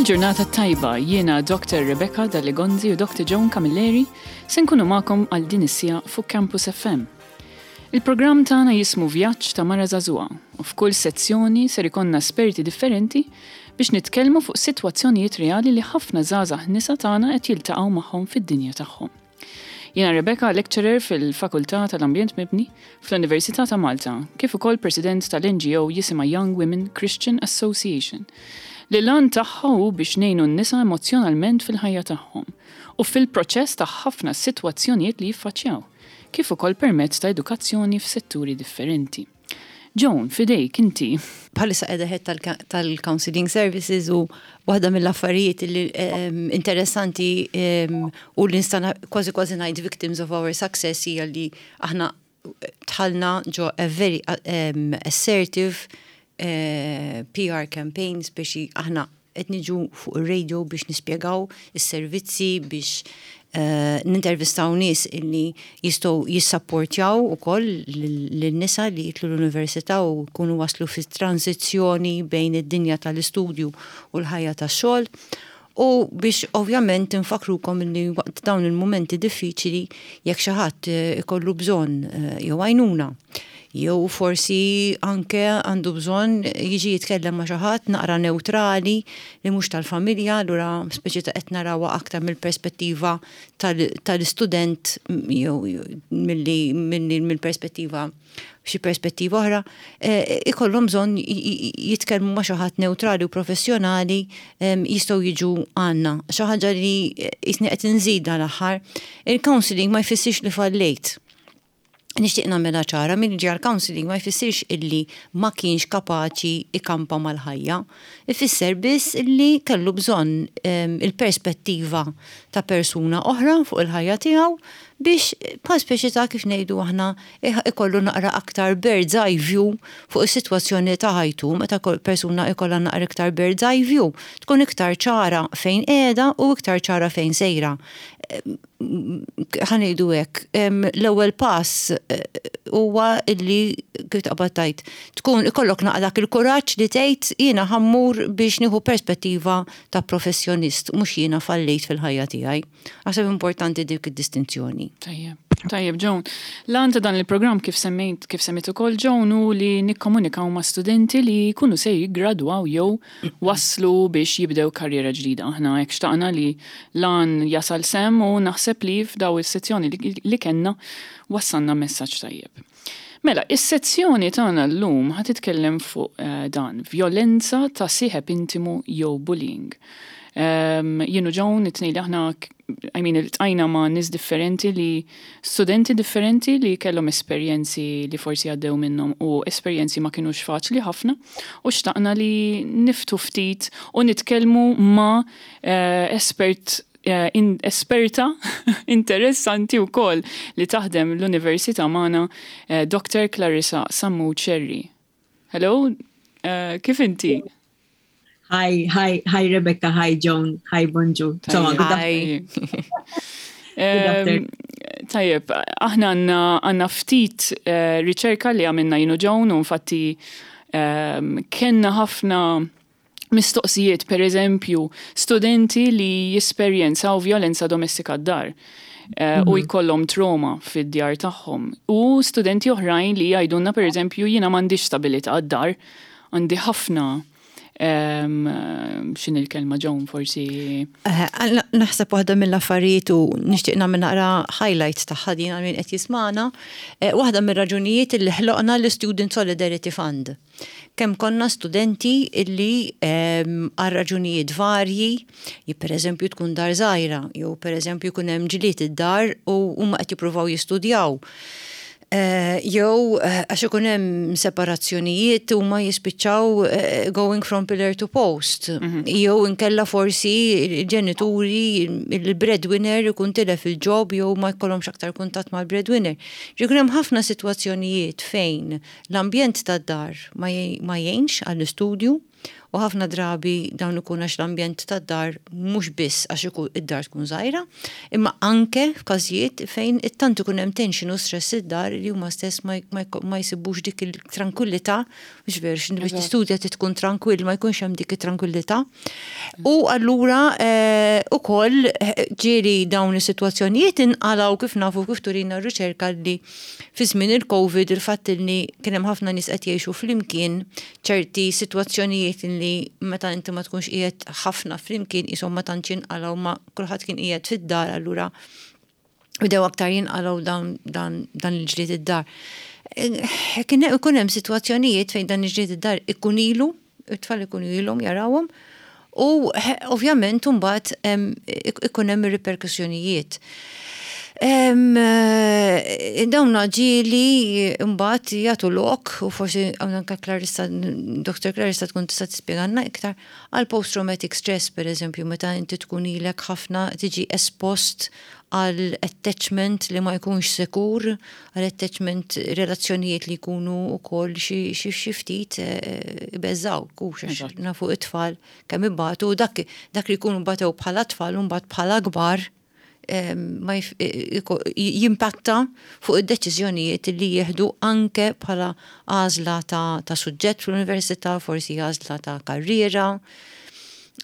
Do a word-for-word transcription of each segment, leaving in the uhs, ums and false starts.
Il-ġurnata tajba, jiena Doctor Rebecca Dalli-Gonzi u Doctor Joan Camilleri se nkunu magħkom għal din is-siegħa fuq Campus F M. Il-programm tagħna jismu Vjaġġ ta' Mara Żagħżugħa u f'kull sezzjoni ser ikollna esperti differenti biex nitkellmu fuq sitwazzjonijiet reali li ħafna żgħażagħ nisa tagħna qed jiltaqgħu magħhom fid-dinja tagħhom. Jiena Rebecca, lecturer fil-Fakultà tal-Ambjent Mibni fl-Università ta' Malta, kif ukoll president tal-N G O jisimha Young Women Christian Association, li l-għan tagħha hu biex ngħinu n-nisa emozjonalment fil-ħajja tagħhom u fil-proċess ta' ħafna sitwazzjonijiet li jiffaċċjaw, kif ukoll permezz ta' edukazzjoni f'setturi differenti. Joan, f'idejk inti. Bħalissa qiegħda head tal-Counseling Services u waħda mill-affarijiet li interessanti u li nista' kważi kważi ngħid victims of our success hija li aħna dħalna ġo a very um, assertive uh, P R campaigns biex aħna qed niġu fuq ir-radio biex nispjegaw is-servizzi, biex uh, nintervistaw nies illi jistgħu jissapportjaw ukoll lin-nisa li jidħlu l-università u jkunu waslu fi tranzizzjoni bejn id-dinja tal-istudju u l-ħajja tax-xogħol. U biex ovvjament infakrukom li waqt dawn il-momenti diffiċli, jekk xi ħadd ikollu bżonn jew għajnuna jew forsi anke għandu bżonn jiġi jitkellem ma' xi ħadd naqra neutrali li mhux tal-familja, allura speċi ta' qed narawha aktar mill-perspettiva tal-istudent jew milli mill-perspettiva xi perspettiva oħra, ikollhom bżonn jitkellmu ma' xi ħadd neutrali u professjonali, jistgħu jiġu għandna. Xi ħaġa li jisni qed inżidha l-aħħar, il-counseling ma jfissirx li fallejt. Nixtieq nagħmilha ċara, min ġie counseling ma jfissirx illi ma kienx kapaċi ikampa mal-ħajja. Ifisser biss illi kellu bżonn il-perspettiva ta' persuna oħra fuq il-ħajja tiegħu biex bħal speċi ta' kif ngħidu aħna ikollu naqra aktar bird's eye view fuq is-sitwazzjoni ta' ħajtu. Meta persuna ikollha naqra iktar bird's eye view, tkun iktar ċara fejn qiegħda u iktar ċara fejn sejra. Ħa ngħidu hekk, l-ewwel pass huwa illi kif taqbad tgħid, tkun ikollok naqra dak il-kuraġġ li tgħid jiena ħa mmur biex nieħu perspettiva ta' professjonist, mhux jiena fallejt fil-ħajja tiegħi. Naħseb importanti dik id-distinzjoni. Tajjeb. Tajjeb, Joan. L-għan ta' dan il-programm, kif semmejt, kif semmejt ukoll Joan, hu li nikkomunikaw ma' studenti li jkunu se jiggradwaw jew waslu biex jibdew karriera ġdida. Aħna hekk xtaqna li l-għan jasal s'hemm u naħseb li f'daw is-sezzjoni li kellna wassalna messaġġ tajjeb. Mela, is-sezzjoni tagħna llum ħa titkellem fuq uh, dan, vjolenza ta' sieħeb intimu jew bullying. Um, Jien u Joan, it-tnejn li aħna, I mean, iltqajna ma' nies differenti li, studenti differenti li kellhom esperjenzi li forsi għaddew minnhom u esperjenzi ma kienux faċli ħafna u xtaqna li niftħu ftit u nitkellmu ma' uh, espert uh, in, esperta interessanti wkoll li taħdem l-Università magħna, uh, Doctor Clarissa Sammu Cherry. Hello, uh, kif inti? Hi, hi, hi Rebecca, hi Joan, hi, bonġu. Hi. Tajjeb, aħna għandna għandna ftit uh, riċerka li għamilna jien u Joan u infatti um, kellna ħafna mistoqsijiet, per eżempju, studenti li jesperjenzaw violenza domestika d-dar Uh, u jkollhom trauma fid-djar tagħhom. U studenti oħrajn li jgħidulna, per eżempju, jiena m'għandix stabilità d-dar, għandi ħafna um, x'inhi l-kelma, Joan, forsi? Naħseb waħda mill-affarijiet u nixtieq nagħmel naqra highlights tagħha din għal min qed jismana, waħda mir-raġunijiet li ħloqna l-Student Solidarity Fund. Kemm konna studenti illi għal raġunijiet varji, per eżempju tkun dar żgħira, jew per eżempju jkun hemm ġlied id-dar u huma qed jippruvaw jistudjaw. Jew għax ikun hemm separazzjonijiet u ma jispiċċaw going from pillar to post. Jew inkella forsi ġenituri, il-breadwinner ikun tilef il-job jew ma jkollhomx aktar kuntatt mal-breadwinner. Jkun hemm ħafna sitwazzjonijiet fejn l-ambjent tad-dar ma jgħinx għall-istudju u ħafna drabi dawn ikun għax l-ambjent tad-dar mhux biss għax ikun id-dar tkun żgħira, imma anke f'każijiet fejn it-tant ikun hemm tension u stress id-dar. li huma stess ma, ma, ma jsibux dik il-tranquillità, mhux veru, x'inti biex tistudja tkun trankwill, ma jkunx hemm dik it-tranquillità. U allura eh, ukoll eh, ġieli dawn is-sitwazzjonijiet inqalgħu, kif nafu, kif turina r-riċerka, li fi żmien il-Covid il-fatt li kien hemm ħafna nies qed jgħixu flimkien, ċerti sitwazzjonijiet li meta inti ma tkunx qiegħed ħafna flimkien qishom ma tantx inqalgħu, ma kulħadd kien qiegħed fid-dar, allura bdew aktar jinqalgħu dan, dan, dan il-ġlied id-dar. Eh, Kien ikun hemm sitwazzjonijiet fejn dan il-ġlied id-dar ikun ilu, it-tfal ikunu ilhom jarawhom, u eh, ovvjament mbagħad em, ikun hemm ir-riperkussjonijiet. Em, eh, Dawn ġieli mbagħad jagħtu lok, u forsi anke Clarissa, Doctor Clarissa tkun tista' tispjegalna iktar, għal post-traumatic stress, per eżempju, meta inti tkun ilek ħafna tiġi espost għal attachment li ma jkunx sekur, għal attachment, relazzjonijiet li jkunu wkoll xi xi xi ftit eh, ibeżżaw, kux għax Eżatt. nafu it-tfal kemm ibatu, dak dak li jkunu batew bħala tfal u mbagħad bħala kbar em, ma jif- iko- jimpatta fuq id-deċiżjonijiet li jieħdu anke bħala għażla ta', ta' suġġett fl-università, forsi għażla ta' karriera.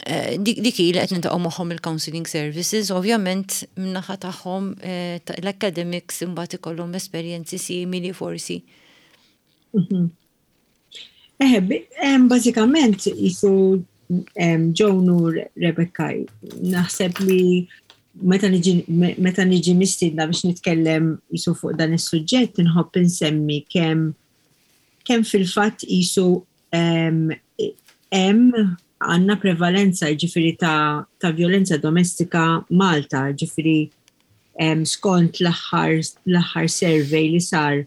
Eh, Dik dik hi li qed niltaqgħu magħhom il-counseling services, ovvjament min-naħa tagħhom eh, ta' l-academics imbagħad ikollhom esperjenzi simili forsi. Eħe, bi- em, bażikament jisu em, Joan u Rebecca, naħseb li meta niġi me- meta niġi mistiedna biex nitkellem jisu fuq dan is-suġġett, inħobb insemmi kemm kemm fil-fatt jisu em, hemm għandna prevalenza, ġifieri, ta', ta' violenza domestika Malta, ġifieri em, skont l-aħħar l-aħħar survey li sar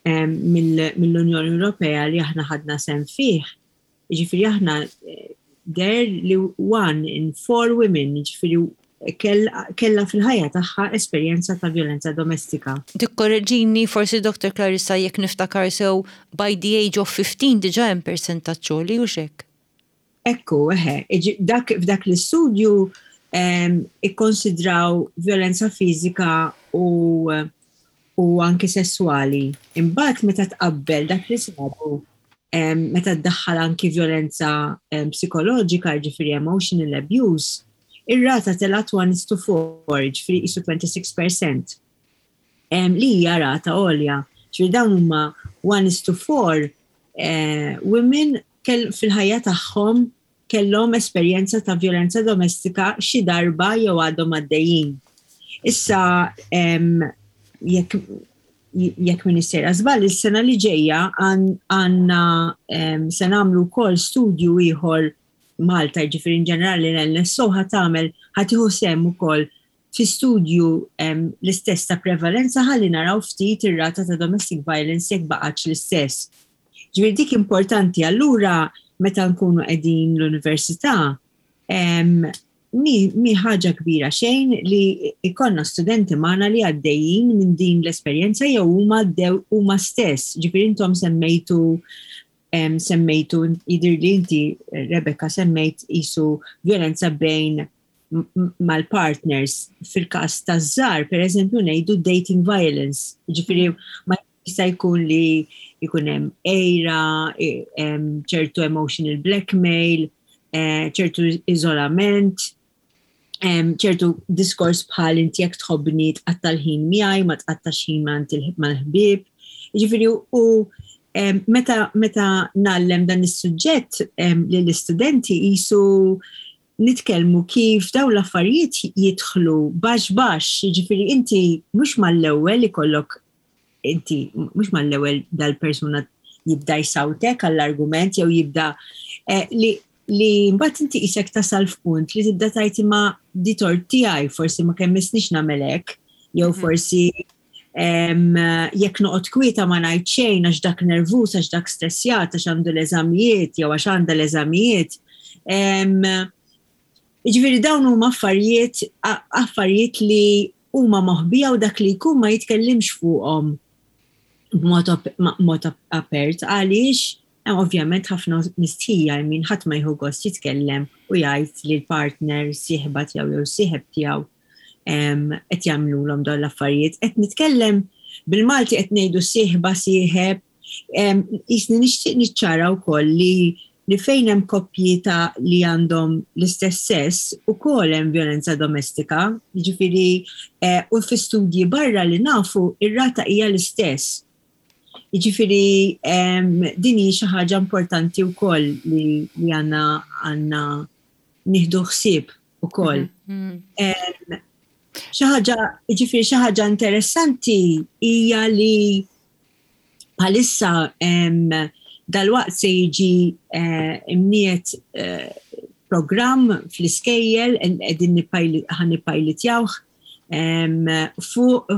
em, mill- mill-Unjoni Ewropea li aħna ħadna sehem fih. Ġifieri aħna eh, der li one in four women, ġifieri, kell- kella fil-ħajja tagħha esperjenza ta' violenza domestika. Tikkorreġini forsi, Doctor Clarissa, jekk niftakar sew, by the age of fifteen diġà hemm percentaġġ għoli, u hekk. Ekku, eħe, iġi- dak, f'dak l-istudju em, ikkonsidraw violenza fizika u, u anki sessuali. Imbagħad meta tqabbel dak li sabu em, meta tdaħħal anki violenza em, psikoloġika, ġifieri emotional abuse, ir-rata telgħet one is to four, ġifieri qisu twenty-six percent. Em, li hija rata għolja. Ġifieri dawn huma one is to four eh, women kell fil-ħajja tagħhom kellhom esperjenza ta' violenza domestika xi darba jew għadhom għaddejjin. Issa em, jekk jekk m'iniex sejra żball, is-sena li ġejja għandna em, se nagħmlu wkoll studju ieħor Malta, ġifieri in ġenerali l-N S O ħa tagħmel, ħa tieħu sehem ukoll fi studju em, l-istess ta' prevalenza ħalli naraw ftit ir-rata ta' domestic violence jekk baqgħetx l-istess. Ġifieri dik importanti. Allura meta nkunu qegħdin l-università, em, mi, mi ħaġa kbira xejn li ikollna studenti magħna li għaddejjin minn din l-esperjenza jew huma għaddew huma stess. Ġifieri intom semmejtu em, semmejtu jidir li inti, Rebecca, semmejt isu violenza bejn m- m- mal-partners. Fil-każ ta' żgħar, per eżempju, ngħidu dating violence. Ġifieri ma jista' jkun li jkun hemm għira, e- em, ċertu emotional blackmail, eh, ċertu iżolament, em, ċertu diskors bħal "inti jekk tħobbni tqatta' l-ħin miegħi, ma tqattax ħin ma' mal-ħbieb". Ġifieri u em, meta meta ngħallem dan is-suġġett em, lill-istudenti jisu nitkellmu kif dawn l-affarijiet jidħlu baxx baxx, ġifieri inti mhux mal-ewwel ikollok, inti mhux mal-ewwel dal-persuna jibda jsawtek għall-argument jew jibda eh, li li mbagħad inti isek tasal f'punt li tibda tgħid, "Ma di tort tiegħi, forsi ma kemm missnix nagħmel hekk, jew forsi em, jekk noqgħod kwieta, ma ngħid xejn għax dak nervuż, għax dak stressjat, għax għandu l-eżamijiet jew għax għandha l-eżamijiet". Em, Ġifieri dawn huma affarijiet a- affarijiet li huma moħbija u dak li jkun ma jitkellimx fuqhom b'mod op- ma- mod ap- apert għaliex hemm ovvjament ħafna mistħija, min ħadd ma jieħu gost jitkellem u jgħid li l-partner, sieħba tiegħu jew sieħeb tiegħu em, qed jagħmluhom dawn l-affarijiet. Qed nitkellem Bil-Malti qed ngħidu sieħba, sieħeb, jiġifieri nixtieq niċċara wkoll li li fejn hemm koppji ta' li għandhom l-istess sess ukoll hemm violenza domestika, jiġifieri eh, u fi studji barra li nafu ir-rata hija l-istess. Jiġifieri din hi xi ħaġa importanti wkoll li, li għandna għandna nieħdu ħsieb ukoll. Mhm. Xi ħaġa, jiġifieri xi ħaġa interessanti hija li bħalissa dalwaqt se jiġi eh, imniet eh, program fl-iskejjel qegħdin ħa nippilotjawh fuq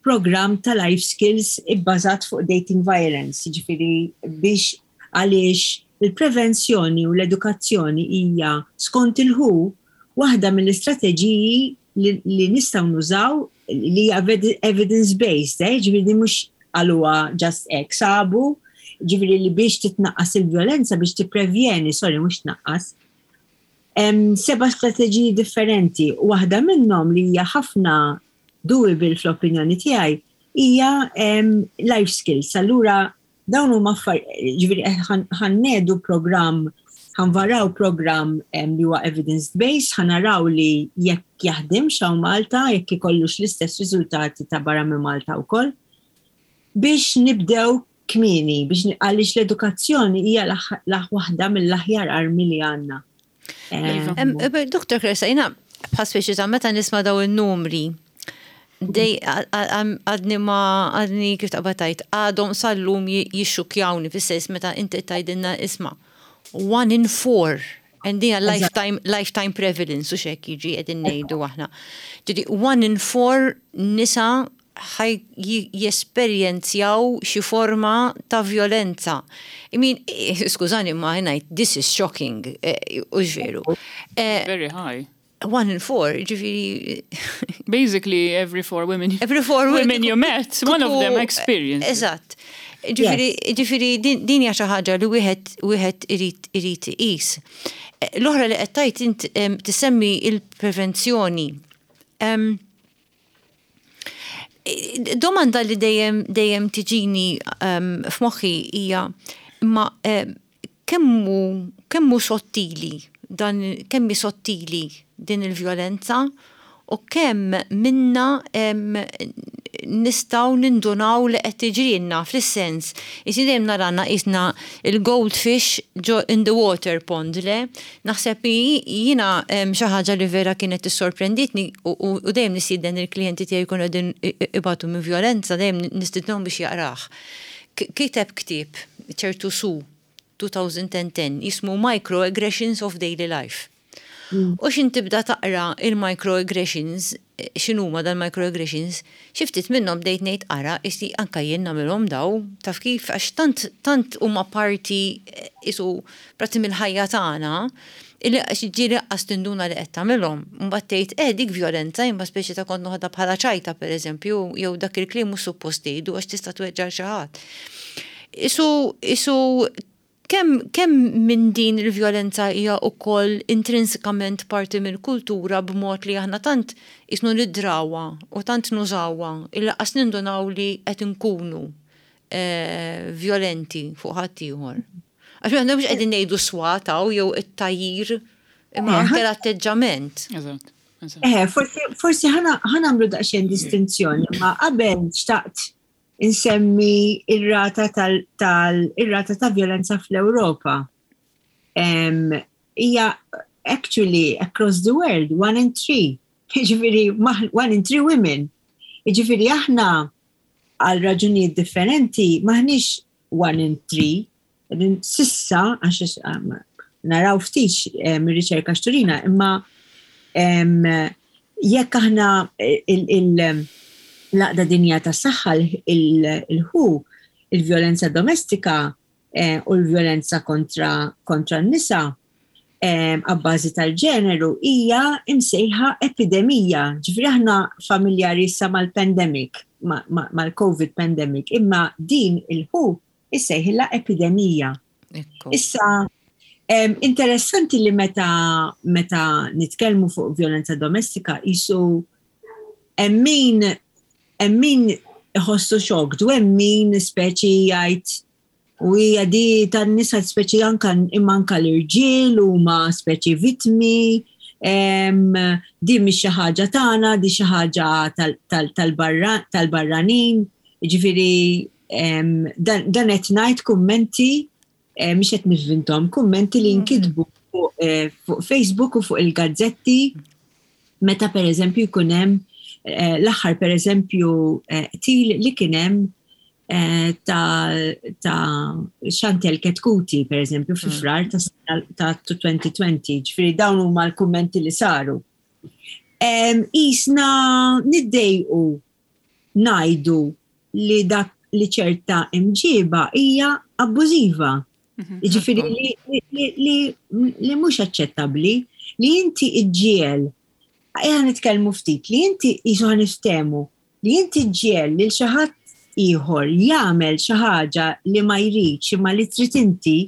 program ta' life skills ibbażat fuq dating violence, ġifieri biex għaliex il-prevenzjoni u l-edukazzjoni hija, skont il-W H O, waħda mill-istrateġiji li, li nistgħu nużaw li hija evidence-based, eh? Ġifieri mhux għaluha just hekk, sabu ġifieri li biex titnaqqas il-violenza, biex tipprevjeni, sorry, mhux tnaqqas, seba' strateġiji differenti. Waħda minnhom li hija ħafna doable fl-opinjoni tiegħi hija life skills. Allura dawn huma, ġifieri ħa nniedu program, ħa nvaraw program li huwa evidence-based, ħa naraw li jekk jaħdem hawn Malta, jekk ikollux l-istess riżultati ta' barra minn Malta wkoll, biex nibdew kmieni, biex għaliex l-edukazzjoni hija waħda mill-aħjar armi li għandna. Iva. Doktor Kresa, jiena bħal speċi ta' meta nisma' daw il-numri, dej għadni ma għadni kif taqbad għadhom sal-lum jixxukjawni, fis-sens meta inti tgħidilna, isma', one in four and din lifetime, lifetime prevalence u xek jiġi qegħdin ngħidu aħna. Ġifieri one in four nisa ħa jesperjenzjaw xi forma ta' violenza. I mean, skużani, ma ngħid, this is shocking, eh, u veru. Eh, very high. One in four, ġifieri. Basically, every four women. Every four women you met, one of them experienced. Eżatt. Ġifieri, din hija xi ħaġa li wieħed wieħed irid irid iqis. Eh, l-oħra li qed tgħid int tisemmi il-prevenzjoni. Domanda li dejjem dejjem tiġini f'moħħi hija imma kemmu kemmu sottili dan, kemmi sottili din il-vjolenza u kemm minna nistgħu nindunaw li qed tiġrilna, fis-sens jiġi dejjem narana qisna il-goldfish in the water pond, le? Naħseb jiena xi ħaġa li vera kienet tissorprenditni u dejjem nistieden il-klijenti tiegħi jkunu qegħdin ibatu minn violenza, dejjem nistidnhom biex jaqrah. Kiteb ktieb ċertu su elfejn u għaxra jismu Microaggressions of Daily Life. Mm. U xin tibda taqra il-microaggressions, x'inhuma dal-microaggressions, xi ftit minnhom bdejt ngħid, ara, isti anka jien nagħmilhom daw, taf kif, għax tant tant huma parti isu parti mill-ħajja tagħna illi ġieli qas tinduna li qed tagħmilhom. Mbagħad tgħid, eh, dik violenza, imma speċi ta' kont noħodha bħala ċajta, pereżempju, jew dak il-kliem mhux suppost tgħidu għax tista' tweġġa' xi ħadd. Isu isu kemm kemm minn din il-vjolenza hija wkoll intrinsikament parti mill-kultura b'mod li aħna tant isnu nidrawha u tant nużawha illi qas nindunaw li qed inkunu eh, violenti fuq ħaddieħor? Għax aħna mhux qegħdin ngħidu swataw jew it-tajjir, imma eh, anke l-atteġġament. Eżatt. Eh, forsi ħa nagħmlu daqsxejn distinzjoni, ma qabel xtaqt insemmi ir-rata tal-ir-rata ta' violenza fl-Ewropa. Hija actually across the world, one in three. Ġifieri, one in three women. Ġifieri, aħna għal raġunijiet differenti maħniex one in three. S'issa, għax naraw ftit mir-riċerka x'turina, imma jekk aħna l-Għaqda Dinjija tas-Saħħa, il-W H O, il-violenza domestika eh, u l-violenza kontra, kontra n-nisa eh, abbażi tal-ġeneru hija imsejħa epidemija. Ġifieri aħna familjari issa mal-pandemic, mal-COVID pandemic, imma din il-W H O issejħilha epidemija. Issa, interessanti li meta, meta nitkellmu fuq violenza domestika jisu emmin emmin Iħossu shocked u hemm min speċi jgħid u hija di tan-nisa, speċi anka imma anka l-irġiel huma speċi vittmi, em, di mhix xi ħaġa tagħna, di xi ħaġa tal-barranin, ġifieri dan qed ngħid kummenti, eh, mhix qed nivvinthom, kummenti li nkitbu fuq eh, fuq Facebook u fuq il-gazzetti meta per eżempju jkun hemm eh, l-aħħar per eżempju qtil li kien hemm ta' ta' Chantel Chetcuti, per eżempju, fi Frar ta' ta' elfejn u għoxrin, ġifieri dawn huma l-kummenti li saru. Isna niddejqu ngħidu li dak li ċerta imġiba hija abbużiva. Ġifieri li, li, li, li mhux aċċettabbli li inti iġġiel, ejja nitkellmu ftit, li inti jisu ħa niftehmu, li inti ġġiegħel lil xi ħadd ieħor jagħmel xi ħaġa li ma jridx imma li trid inti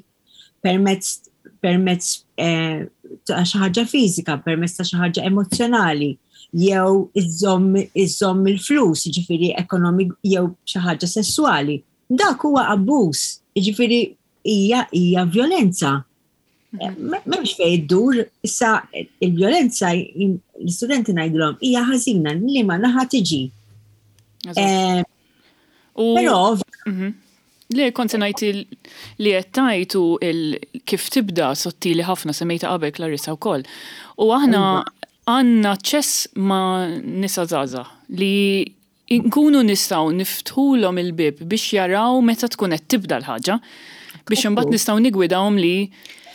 permezz permezz eh, ta' xi ħaġa fiżika, permezz ta' xi ħaġa emozzjonali, jew iżomm iżomm il-flus, ġifieri ekonomik, jew xi ħaġa sessuali. Dak huwa abbuż, ġifieri hija hija violenza. M'hemmx fejn iddur, issa il-violenza l-istudenti ngħidulhom hija ħażina li ma naħa tiġi. Eh, Però mhm. Le, kont ngħid li qed tajtu kif tibda sottili ħafna, semmejta qabel Clarissa wkoll. U aħna iva. għandna aċċess ma' nisa żgħażagħ li nkunu nistgħu niftħulhom il-bib biex jaraw meta tkun qed tibda l-ħaġa biex imbagħad nistgħu nigwidawhom li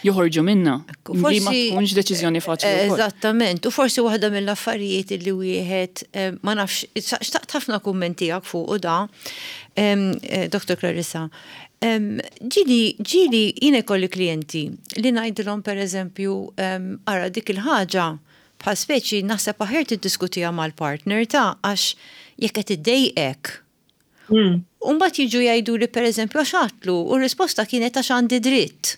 joħorġu minna. Li ma tkunx deċiżjoni faċli. Eżattament, u forsi waħda mill-affarijiet li wieħed eh, ma nafx, xtaqt ħafna kummenti fuq u da, eh, Doktor Clarissa. Ġieli, ġieli jiena kolli klijenti li ngħidilhom, per eżempju, ara, dik il-ħaġa bħal speċi naħseb aħjar tiddiskutiha mal-partner ta' għax jekk qed iddejqek. Mm. Umbagħad jiġu jgħidu li, per eżempju, għax għedtlu, u r-risposta kienet għax għandi dritt.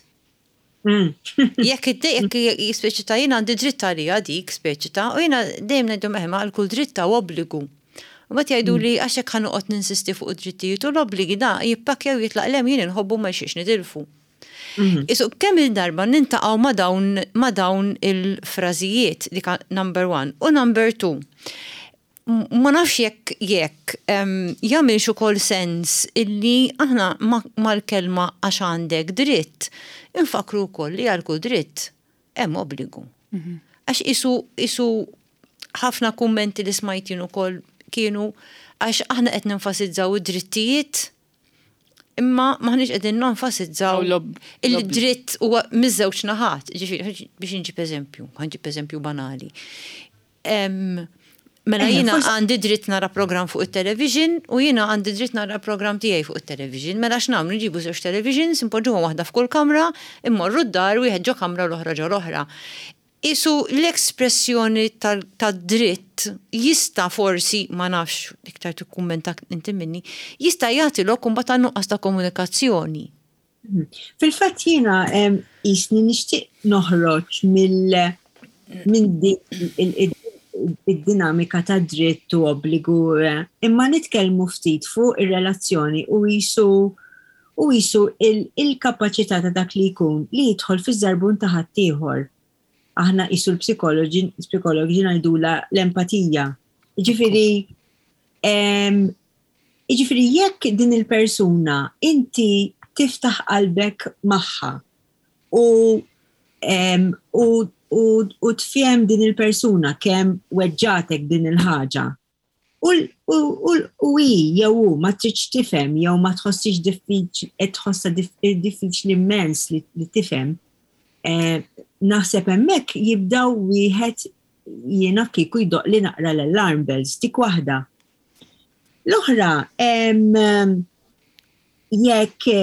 Mm. Jekk id-dejjek speċi ta' jiena għandi dritt għalija dik speċi ta' u jiena dejjem ngħidu meħma għal kull dritt ta' obbligu. U mbagħad jgħidu li għax hekk ħa noqgħod ninsisti fuq id-drittijiet u l-obbligi, da jippakkjaw, jitlaq lem, jien inħobbu ma xiex nitilfu. Mm. Isu kemm il-darba niltaqgħu ma' dawn ma' dawn il-frażijiet, dik number one. U number two, ma nafx jekk jekk jagħmilx ukoll sens illi aħna mal-kelma għax għandek dritt infakru wkoll li għal kull dritt hemm obbligu. Mhm. Għax isu isu ħafna kummenti li smajtin ukoll kienu għax aħna qed nenfasizzaw id-drittijiet imma maħniex qegħdin nenfasizzaw il-dritt huwa miż-żewġ naħat. Ġifieri biex inġib eżempju, ħa nġib eżempju banali. Mela jiena għandi dritt nara program fuq il-television u jiena għandi dritt nara program tiegħi fuq il-television. Mela x'nagħmlu? Nġibu żewġ televisions, impoġġuhom waħda f'kull kamra, immorru d-dar, wieħed ġo kamra, l-oħra ġo l-oħra. Isu l-espressjoni tad-dritt jista' forsi, ma nafx, iktar tikkummenta inti minni, jista' jagħti lok imbagħad nuqqas ta' komunikazzjoni. Fil-fatt jiena jisni nixtieq noħroġ mill minn din id-dinamika ta' dritt u obbligu, eh, imma nitkellmu ftit fuq ir-relazzjoni u jisu u jisu il-kapaċità ta' dak li jkun li jidħol fiż-żarbun ta' ħaddieħor. Aħna jisu l-psikoloġi psikoloġi ngħidula l-empatija. Ġifieri ġifieri jekk din il-persuna inti tiftaħ qalbek magħha u u u, u tfhem din il-persuna kemm weġġatek din il-ħaġa. U, u, u, u hi jew hu ma tridx tifhem jew ma tħossix diffiċ tħossha diffiċli immens li, li tifhem. Eh, naħseb hemmhekk jibdaw wieħed jiena kieku jdoq li naqra l-alarm bells, dik waħda. L-oħra, jekk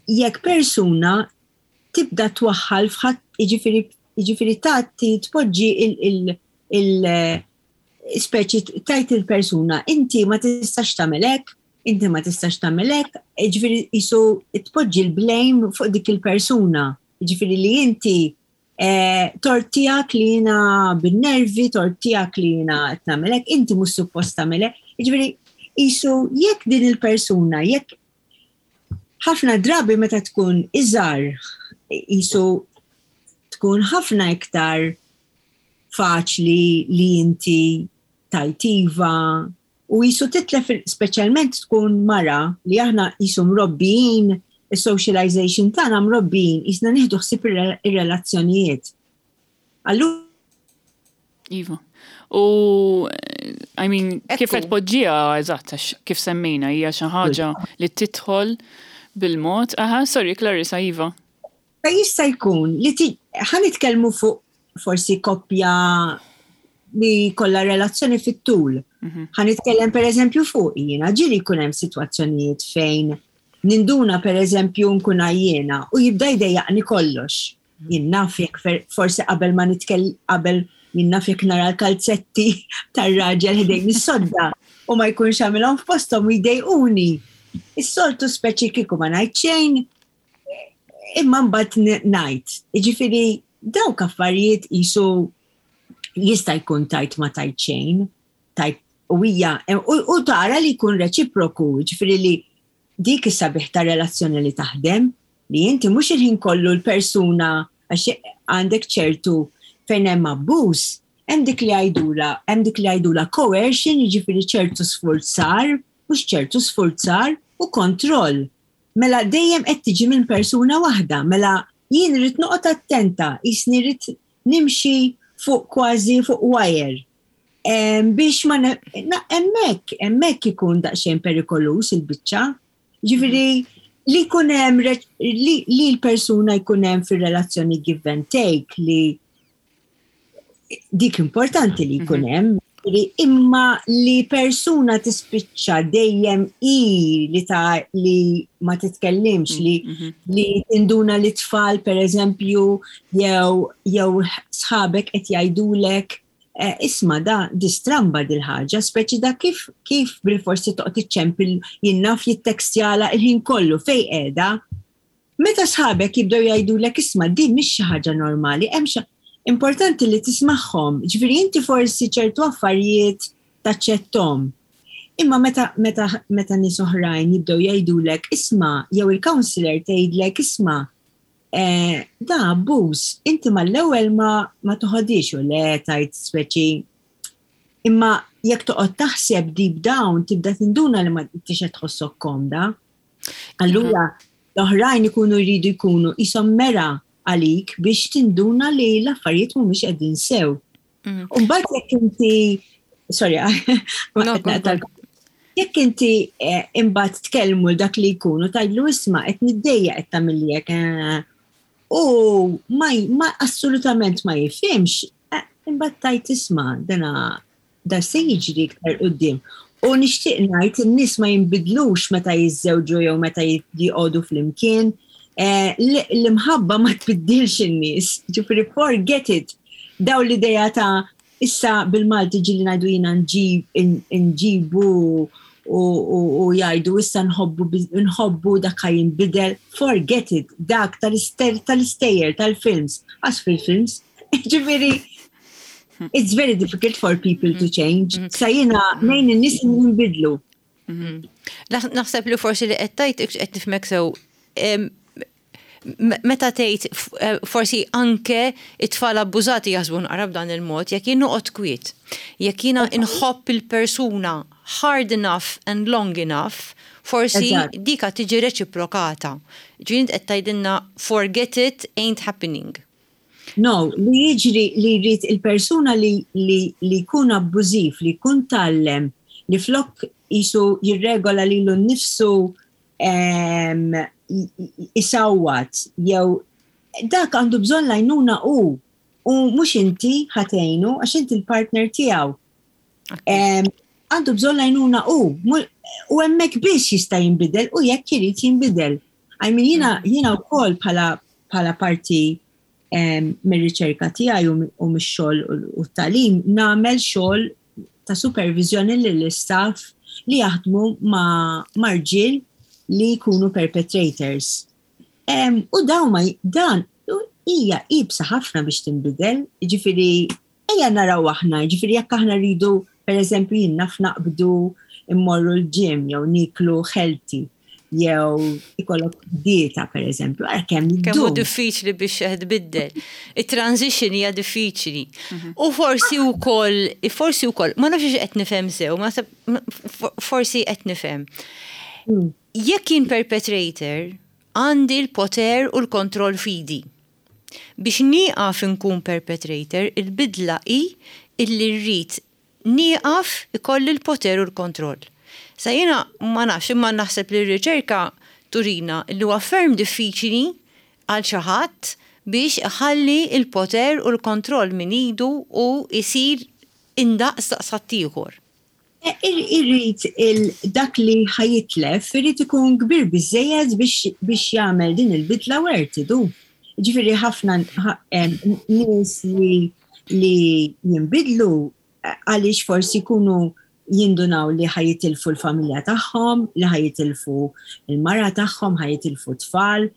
jekk persuna tibda twaħħal f'ħadd, jiġifieri jiġifieri tagħti tpoġġi il- il- speċi tajt il-persuna inti ma tistax tagħmel hekk, inti ma tistax tagħmel hekk, jiġifieri jisu tpoġġi l-blame fuq dik il-persuna. Jiġifieri li inti eh, tort tiegħek li jiena bin-nervi, tort tiegħek li jiena qed nagħmel hekk, inti mhux suppost tagħmel hekk. Jiġifieri Qisu jekk din il-persuna, jekk ħafna drabi meta tkun iżgħar, qisu tkun ħafna iktar faċli li inti tgħid iva u qisu titlef, speċjalment tkun mara li aħna qisu mrobbijin, il-socialization tagħna mrobbijin, qisna nieħdu ħsieb ir-relazzjonijiet. Allura Iva. U, I mean, kif qed poġġiha eżatt, kif semmejna, hija xi ħaġa li tidħol bil-mod. Aha, sorry, Clarissa, iva. Ta' jista' jkun li ħa nitkellmu fuq forsi koppja li kollha relazzjoni fit-tul. Mhm. Ħa nitkellem per eżempju fuq jiena, ġieli jkun hemm sitwazzjonijiet fejn ninduna, per eżempju, nkun għajjena u jibda jdejjaqni kollox. Jien naf jekk forsi qabel ma nitkell qabel jien naf jekk nara l-kalzetti tar-raġel ħdejn is-sodda u ma jkunx għamilhom f'posthom u jdejquni. Is-soltu speċi kieku ma ngħid xejn, imma mbagħad ngħid. Jiġifieri dawk affarijiet qisu jista' jkun tgħid ma tgħid xejn, tgħid u hija u tara li jkun reċiproku, jiġifieri li dik is-sabiħ ta' relazzjoni li taħdem, li inti mhux il-ħin kollu l-persuna, għax għandek ċertu fejn hemm abbuż, hemm dik li għajdula, hemm dik li għajdula coercion, jiġifieri ċertu sfurzar, mhux ċertu sfurzar u kontroll. Mela dejjem qed tiġi minn persuna waħda, mela jien rrid noqgħod attenta, qisni rrid nimxi fuq kważi fuq wire. Biex ma hemmhekk, hemmhekk ikun daqsxejn perikoluż il-biċċa. Ġifieri li jkun hemm li, li l-persuna jkun hemm fir-relazzjoni give and take, li dik importanti li jkun mhm. hemm, imma li persuna tispiċċa dejjem i li ta' li ma titkellimx, li mhm. li tinduna li tfal, per eżempju, jew jew sħabek qed jgħidulek, eh, "Isma', da distramba dil-ħaġa, speċi da kif kif bil-forsi toqgħod iċċempel, jien naf, jittekstjala il-ħin kollu, fejn qiegħda?" Meta sħabek jibdew jgħidulek, "Isma', din mhix xi ħaġa normali, hemm xi", importanti li tismagħhom. Ġifieri inti forsi ċertu affarijiet taċċettom. Imma meta meta meta nies oħrajn jibdew jgħidulek, "Isma'," jew il-counselor tgħidlek, "Isma', eh, da abbuż," inti mal-ewwel ma ma toħodix u le tgħid speċi. Imma jekk toqgħod taħseb deep down, tibda tinduna li ma tix tħossok komda. Allura l-oħrajn ikunu jridu jkunu qishom mera għalik biex tinduna li l-affarijiet mhumiex qegħdin sew. Mm. U mbagħad jekk inti, sorry, jekk inti eh, imbagħad tkellmu dak li jkunu tgħidlu, "Isma', qed niddejja qed tagħmel eh, u ma, ma assolutament ma jifhimx, eh, imbagħad tgħid, "Isma', dana da se jiġri iktar quddiem." U nixtieq ngħid, in-nies ma jinbidlux meta jiżżewġu jew meta jqogħdu flimkien. Eh, l-imħabba ma tbiddilx in-nies, ġifieri forget it. Daw l-ideja ta' issa bil-Malti ġieli ngħidu jiena nġibu u jgħidu issa nħobbu nħobbu dak jinbidel, forget it, dak tal-istejjer, tal-films, għax fil-films, ġifieri, it's very difficult for people to change. Mm-hmm. Sa jiena ngħin in-nies jinbidlu. Mm-hmm. Naħseb li forsi li qed tgħid, qed nifhmek sew, meta tgħid eh, forsi anke it-tfal abbużati jaħsbu naqra b'dan il-mod, jekk jien noqgħod kwiet, jekk jiena inħobb il-persuna hard enough and long enough, forsi dika tiġi reċiprokata. Ġifieri qed tgħidilna forget it, ain't happening. No, li jiġri li jrid il-persuna li li li jkun abbużiv, li jkun tgħallem li flok qisu jirregola lilu nnifsu, isawwat jew dak, għandu bżonn l-għajnuna u u mhux inti ħa tgħinu, għax inti l-partner tiegħu. Għandu bżonn l-għajnuna u u hemmhekk biex jista' jinbidel u jekk irid jinbidel. I mean, jiena mm. jiena wkoll bħala bħala parti mir-riċerka tiegħi u mix-xogħol u t-tagħlim nagħmel xogħol ta' supervizjoni lill-istaff li jaħdmu ma' rġiel li jkunu perpetrators. U daw ma dan hija iebsa ħafna biex tinbidel, ġifieri ejja naraw aħna, ġifieri jekk aħna rridu, per eżempju, jien naf naqbdu immorru l-gym jew niklu healthy jew ikollok dieta, per eżempju, għara kemm Kemm hu diffiċli biex tbiddel. Il-transition hija diffiċli. Mhm. U forsi wkoll, forsi wkoll, ma nafx qed nifhem sew, ma forsi qed nifhem. Mm. Jekk jien perpetrator, għandi l-poter u l-kontroll f'idi. Biex nieqaf inkun perpetrator, il-bidla hi illi rrid nieqaf ikolli l-poter u l-kontroll. Sa jiena ma nafx, imma naħseb li r-riċerka turina li huwa ferm diffiċli għal xi ħadd biex iħalli il-poter u l-kontroll minn idu u jsir indaqs daqs ħaddieħor. E, irrid dak li ħa jitlef, irrid ikun kbir biżejjed biex jagħmel din il-bidla worth it. Ġifieri ħafna nies li li jinbidlu għaliex forsi jkunu jindunaw li ħa jitilfu l-familja tagħhom, li ħa jitilfu il-mara tagħhom, ħa jitilfu tfal,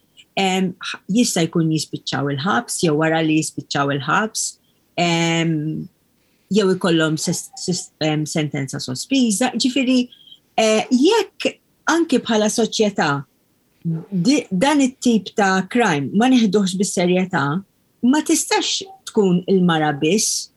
jista' jkun jispiċċaw il-ħabs jew wara li jispiċċaw il-ħabs, jew ikollhom sentenza sospiża. Ġifieri eh, jekk anki bħala soċjetà dan it-tip ta' crime ma neħduhx bis-serjetà, ma tistax tkun il-mara biss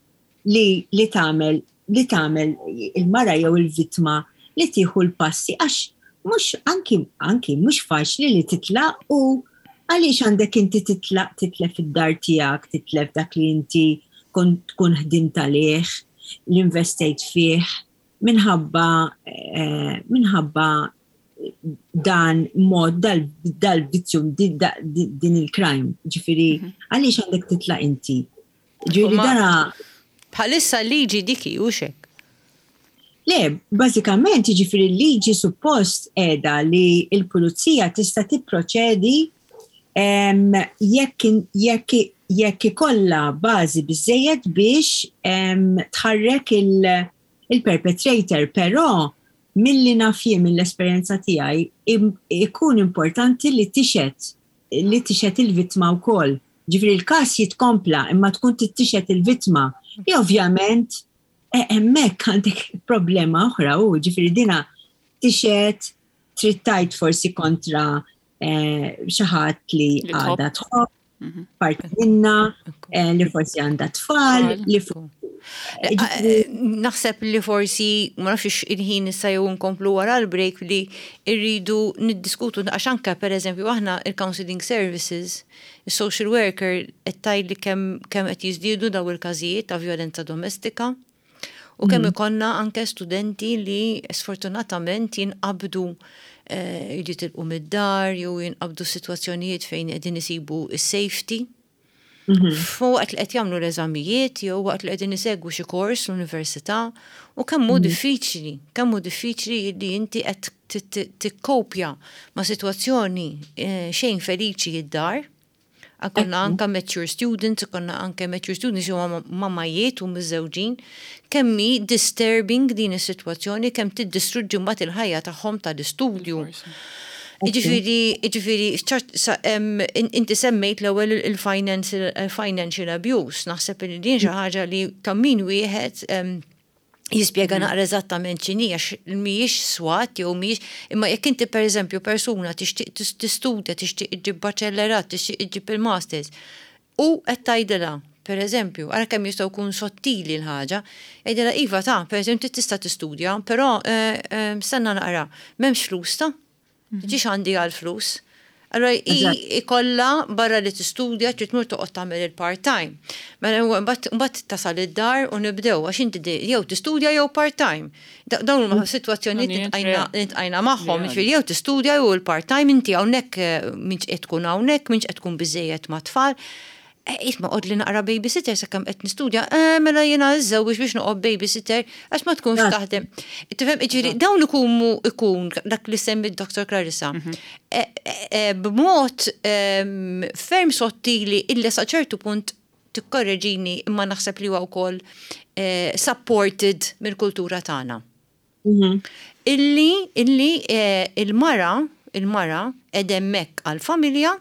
li li tagħmel li tagħmel il-mara jew il-vittma li tieħu l-passi, għax mhux anki anki mhux faċli li titlaq, u għaliex għandek inti titlaq, titlef id-dar tiegħek, titlef dak li inti tkun ħdimt għalih, li investejt fih, minħabba eh, minħabba dan mod dal-vizzju, din il-crime. Ġifieri, mhm. għaliex għandek titlaq inti? Ġifieri dana Bħalissa liġi diki u xek. Le, bażikament, ġifieri liġi suppost edha li il-pulizija tista' tipproċedi jekk jekk jekk ikollha bażi biżejjed biex tħarrek il-perpetrator, però milli naf jien, mill-esperjenza tiegħi, ikun importanti li tixhed li tixhed il-vittma wkoll. Ġifieri l-każ jitkompla imma tkun tixhed il-vittma. I ovvjament e, hemmhekk għandek problema oħra, u ġifieri dina tixhed, trid tgħid forsi kontra eh, xi ħadd li għadha tħobb, mhm. parti minna, eh, li forsi għandha tfal, li eh, Naħseb li forsi, ma nafx il-ħin issa jew nkomplu wara l-break, li rridu niddiskutu, għax anke, per eżempju, aħna il-counseling services, il-social worker qed tgħid li kemm kemm qed jiżdiedu daw il-każijiet ta' violenza domestika u kemm mm. ikollna anke studenti li sfortunatament jinqabdu eh, jitilqu mid-dar jew jinqabdu situazzjonijiet fejn qegħdin isibu is-safety. Mhm. Waqt li qed jagħmlu l-eżamijiet jew waqt li qegħdin isegwu xi kors l-università, u kemm hu mhm. diffiċli, kemm hu diffiċli li inti qed tikkopja ma' sitwazzjoni eh, xejn feliċi id-dar. Konna anka mature students, konna anke mature students huma mamajiet u miżżewġin, kemm hi disturbing din is-sitwazzjoni, kemm tiddistruġġi mbagħad il-ħajja tagħhom tal-istudju. Ġifieri, ġifieri, inti semmejt l-ewwel il-financial abuse, naħseb li din xi ħaġa li ta' min wieħed jispjega mm. naqra eżattament x'inhi, għax mhijiex swat jew mhijiex, imma jekk inti, pereżempju, persuna tixtieq tistudja, tixtieq iġġib baċellerat, tixtieq iġġib il-masters, u qed tgħidilha, pereżempju, ara kemm jistgħu jkun sottili l-ħaġa, jgħidilha: "Iva ta', pereżempju, tista' tistudja, però eh, eh, stenna naqra, m'hemmx flus ta', mhm. tiġix għandi għal flus." Allora ikolla barra li tistudja trid tmur toqgħod tagħmel il-part-time. Mela mbagħad tasal id-dar u nibdew, għax inti jew tistudja jew part-time. Dawn huma sitwazzjonijiet li ltqajna magħhom, jiġifieri jew tistudja jew il-part-time, inti hawnhekk eh, minx qed tkun hawnhekk, minx qed tkun biżejjed ma' tfal. Eh, isma', għodli naqra babysitter sakemm qed nistudja, eh, mela jiena żewġ biex noqgħod babysitter għax ma tkunx taħdem. Tifhem, ġifieri dawn ikunu ikun dak li semmi Dottor Clarissa. Mhm. Eh, b'mod ehm, ferm sottili illi sa ċertu punt, tikkorreġini, imma naħseb li huwa wkoll supported mill-kultura tagħna. Mhm. Illi illi il-mara il-mara edemmek għal-familja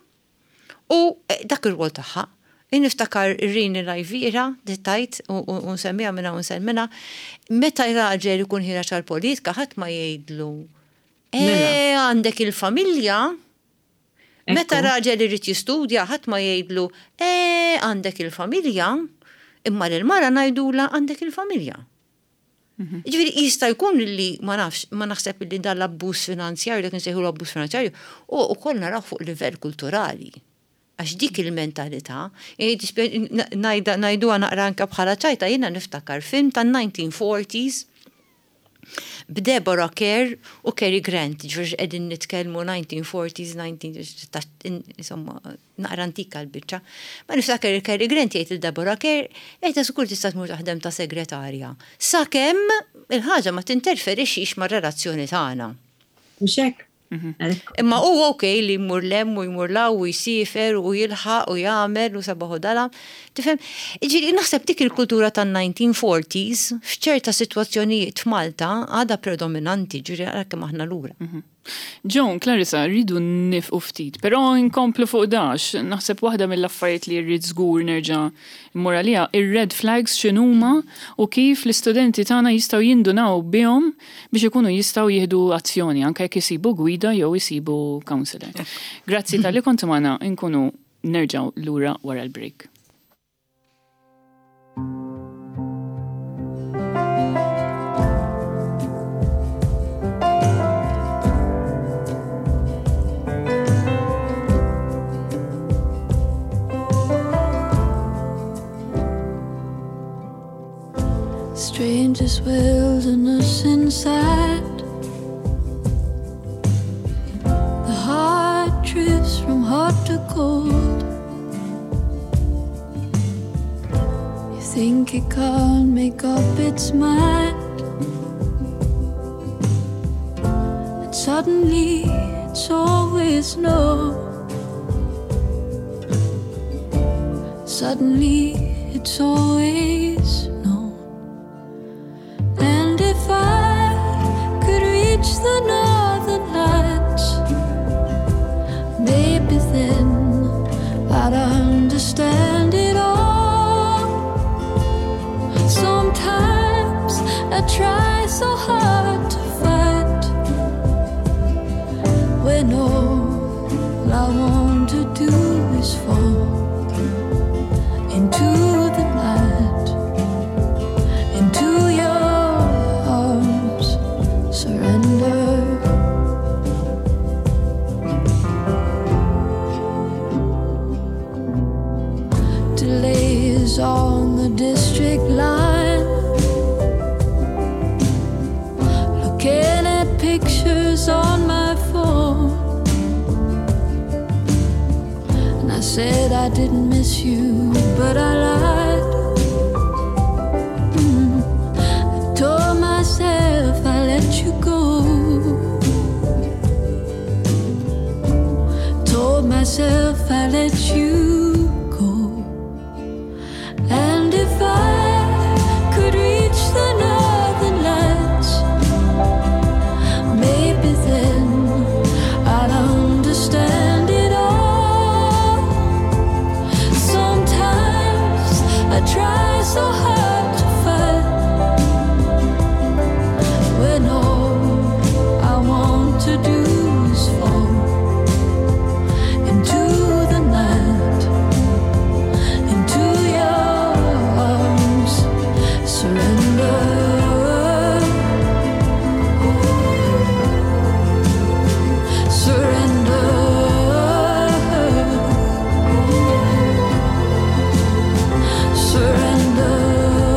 u dak ir-rwol tagħha. Niftakar Rini Lajvira, dittajt, u nsemmiha minna u nsemmina, meta raġel ikun ħiereġ għal-politika, ħadd ma jgħidlu. E, għandek il-familja, meta raġel irid jistudja, ħadd ma jgħidlu, e, għandek il-familja, imma l-mara ngħidulha għandek il-familja. Mhm. Ġifieri jista' jkun li ma nafx, ma naħseb li dan l-abbuż finanzjarju, dak nsejħu l-abbuż finanzjarju, u wkoll naraw fuq livell kulturali. Għax dik il-mentalità, ngħidu naqra anka bħala ċajta, jiena niftakar film tan-nineteen forties b'Deborah Kerr u Cary Grant, ġifieri qegħdin nitkellmu nineteen forties, nineteen, insomma, naqra antika l-biċċa. Ma niftakar il-Cary Grant jgħid il-Deborah Kerr, "Ejta żgur tista' tmur taħdem ta' segretarja. Sakemm il-ħaġa ma tinterferixx mar-relazzjoni tagħna." Mhux hekk? Mhm. Imma u ok li jmur 'l hemm u jmur 'l hawn u jsifer u jilħaq u jagħmel u sabaħu dalam. Tifhem, ġifieri naħseb dik il-kultura tan-nineteen forties f'ċerta sitwazzjonijiet f'Malta għadha predominanti, ġifieri ara kemm aħna lura. Mhm. Joan, Clarissa, rridu nieqfu ftit, però nkomplu fuq dax, naħseb waħda mill-affarijiet li rrid żgur nerġa' mmur għaliha, ir-red flags x'inhuma u kif l-istudenti tagħna jistgħu jindunaw bihom biex ikunu jistgħu jieħdu azzjoni anke jekk isibu gwida jew isibu counselor. Grazzi talli kontu magħna, nkunu nerġgħu lura wara l-break. Strangest wilderness inside. The heart drifts from hot to cold. You think it can't make up its mind, and suddenly it's always no. Suddenly it's always no. And if I could reach the northern lights, maybe then I'd understand it all. Sometimes I try so hard to fight when all I want to do is fall into the night, into your arms, surrender. Delays on the district line, looking at pictures on my phone. And I said I didn't miss you, but I lied. Mm. I told myself I let you go. Told myself I let you go. And if I could reach the northern lights, maybe then I'd understand it all. Sometimes I try so hard to fight when all I want to do is fall into the night, into your arms, surrender. Surrender. Surrender.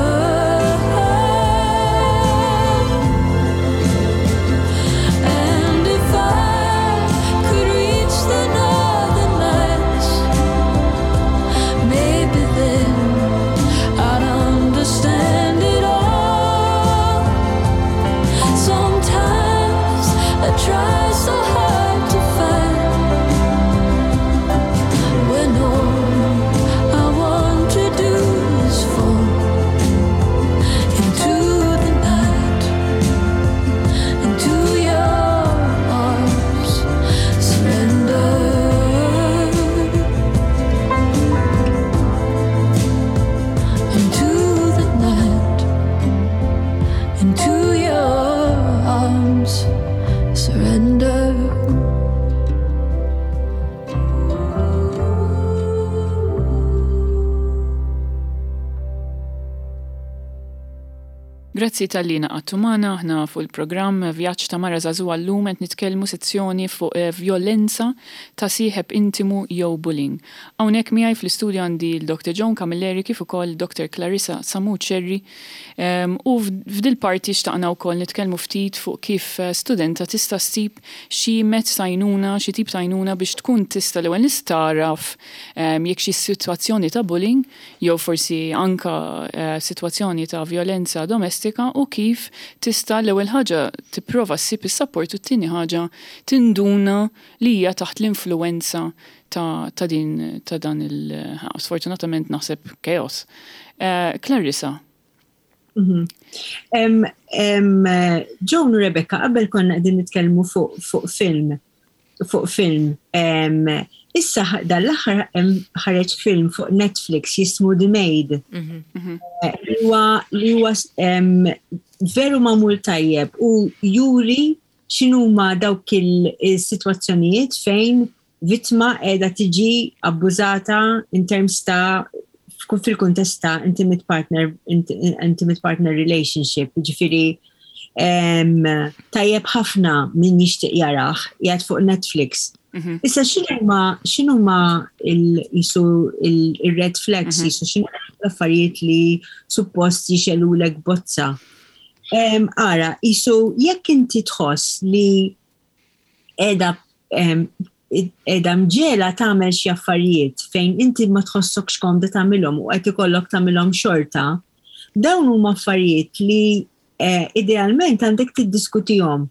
Grazzi talli ngħaqadtu magħna. Aħna fuq il-programm Vjaġġ ta' Mara Żagħżugħa. Llum qed nitkellmu sezzjoni fuq eh, vjolenza ta' sieħeb intimu jew bullying. Hawnhekk miegħi fl-istudju għandi l-Doktor Joan Camilleri kif ukoll Doktor Clarissa Sammut Scerri um, u f'dil parti xtaqna wkoll nitkellmu ftit fuq kif eh, studenta tista' ssib xi mezz ta' għajnuna, xi tip ta' għajnuna biex tkun tista' l-ewwel tagħraf um, jekk xi sitwazzjoni ta' bullying jew forsi anka uh, sitwazzjoni ta' vjolenza domestika u kif tista' l-ewwel ħaġa tipprova ssib is-support u t-tieni ħaġa tinduna li hija taħt l-influenza ta', ta' din ta' dan il sfortunatament naħseb chaos. Uh, Clarissa. Mm -hmm. um, um, Joan u Rebecca, qabel konna qegħdin nitkellmu fuq fu film, fuq film. Um, issa dal-aħħar ħareġ film fuq Netflix jismu The Maid. Li huwa li huwa veru magħmul tajjeb u juri x'inhuma dawk il-sitwazzjonijiet fejn vittma qiegħda tiġi abbużata in terms ta' fil-kuntest ta' intimate partner intimate partner relationship, ġifieri tajjeb ħafna min jixtieq jarah, qiegħed fuq Netflix. Mhm. Issa x'inhuma x'inhuma il-jisu il-red flags, mhm. jisu x'inhu l-affarijiet li suppost jixegħlulek bozza? Ara, jisu jekk inti tħoss li qiegħda qiegħda mġiegħla tagħmel xi affarijiet fejn inti ma tħossokx komda tagħmilhom u qed ikollok tagħmilhom xorta, dawn huma affarijiet li eh, idealment għandek tiddiskutihom.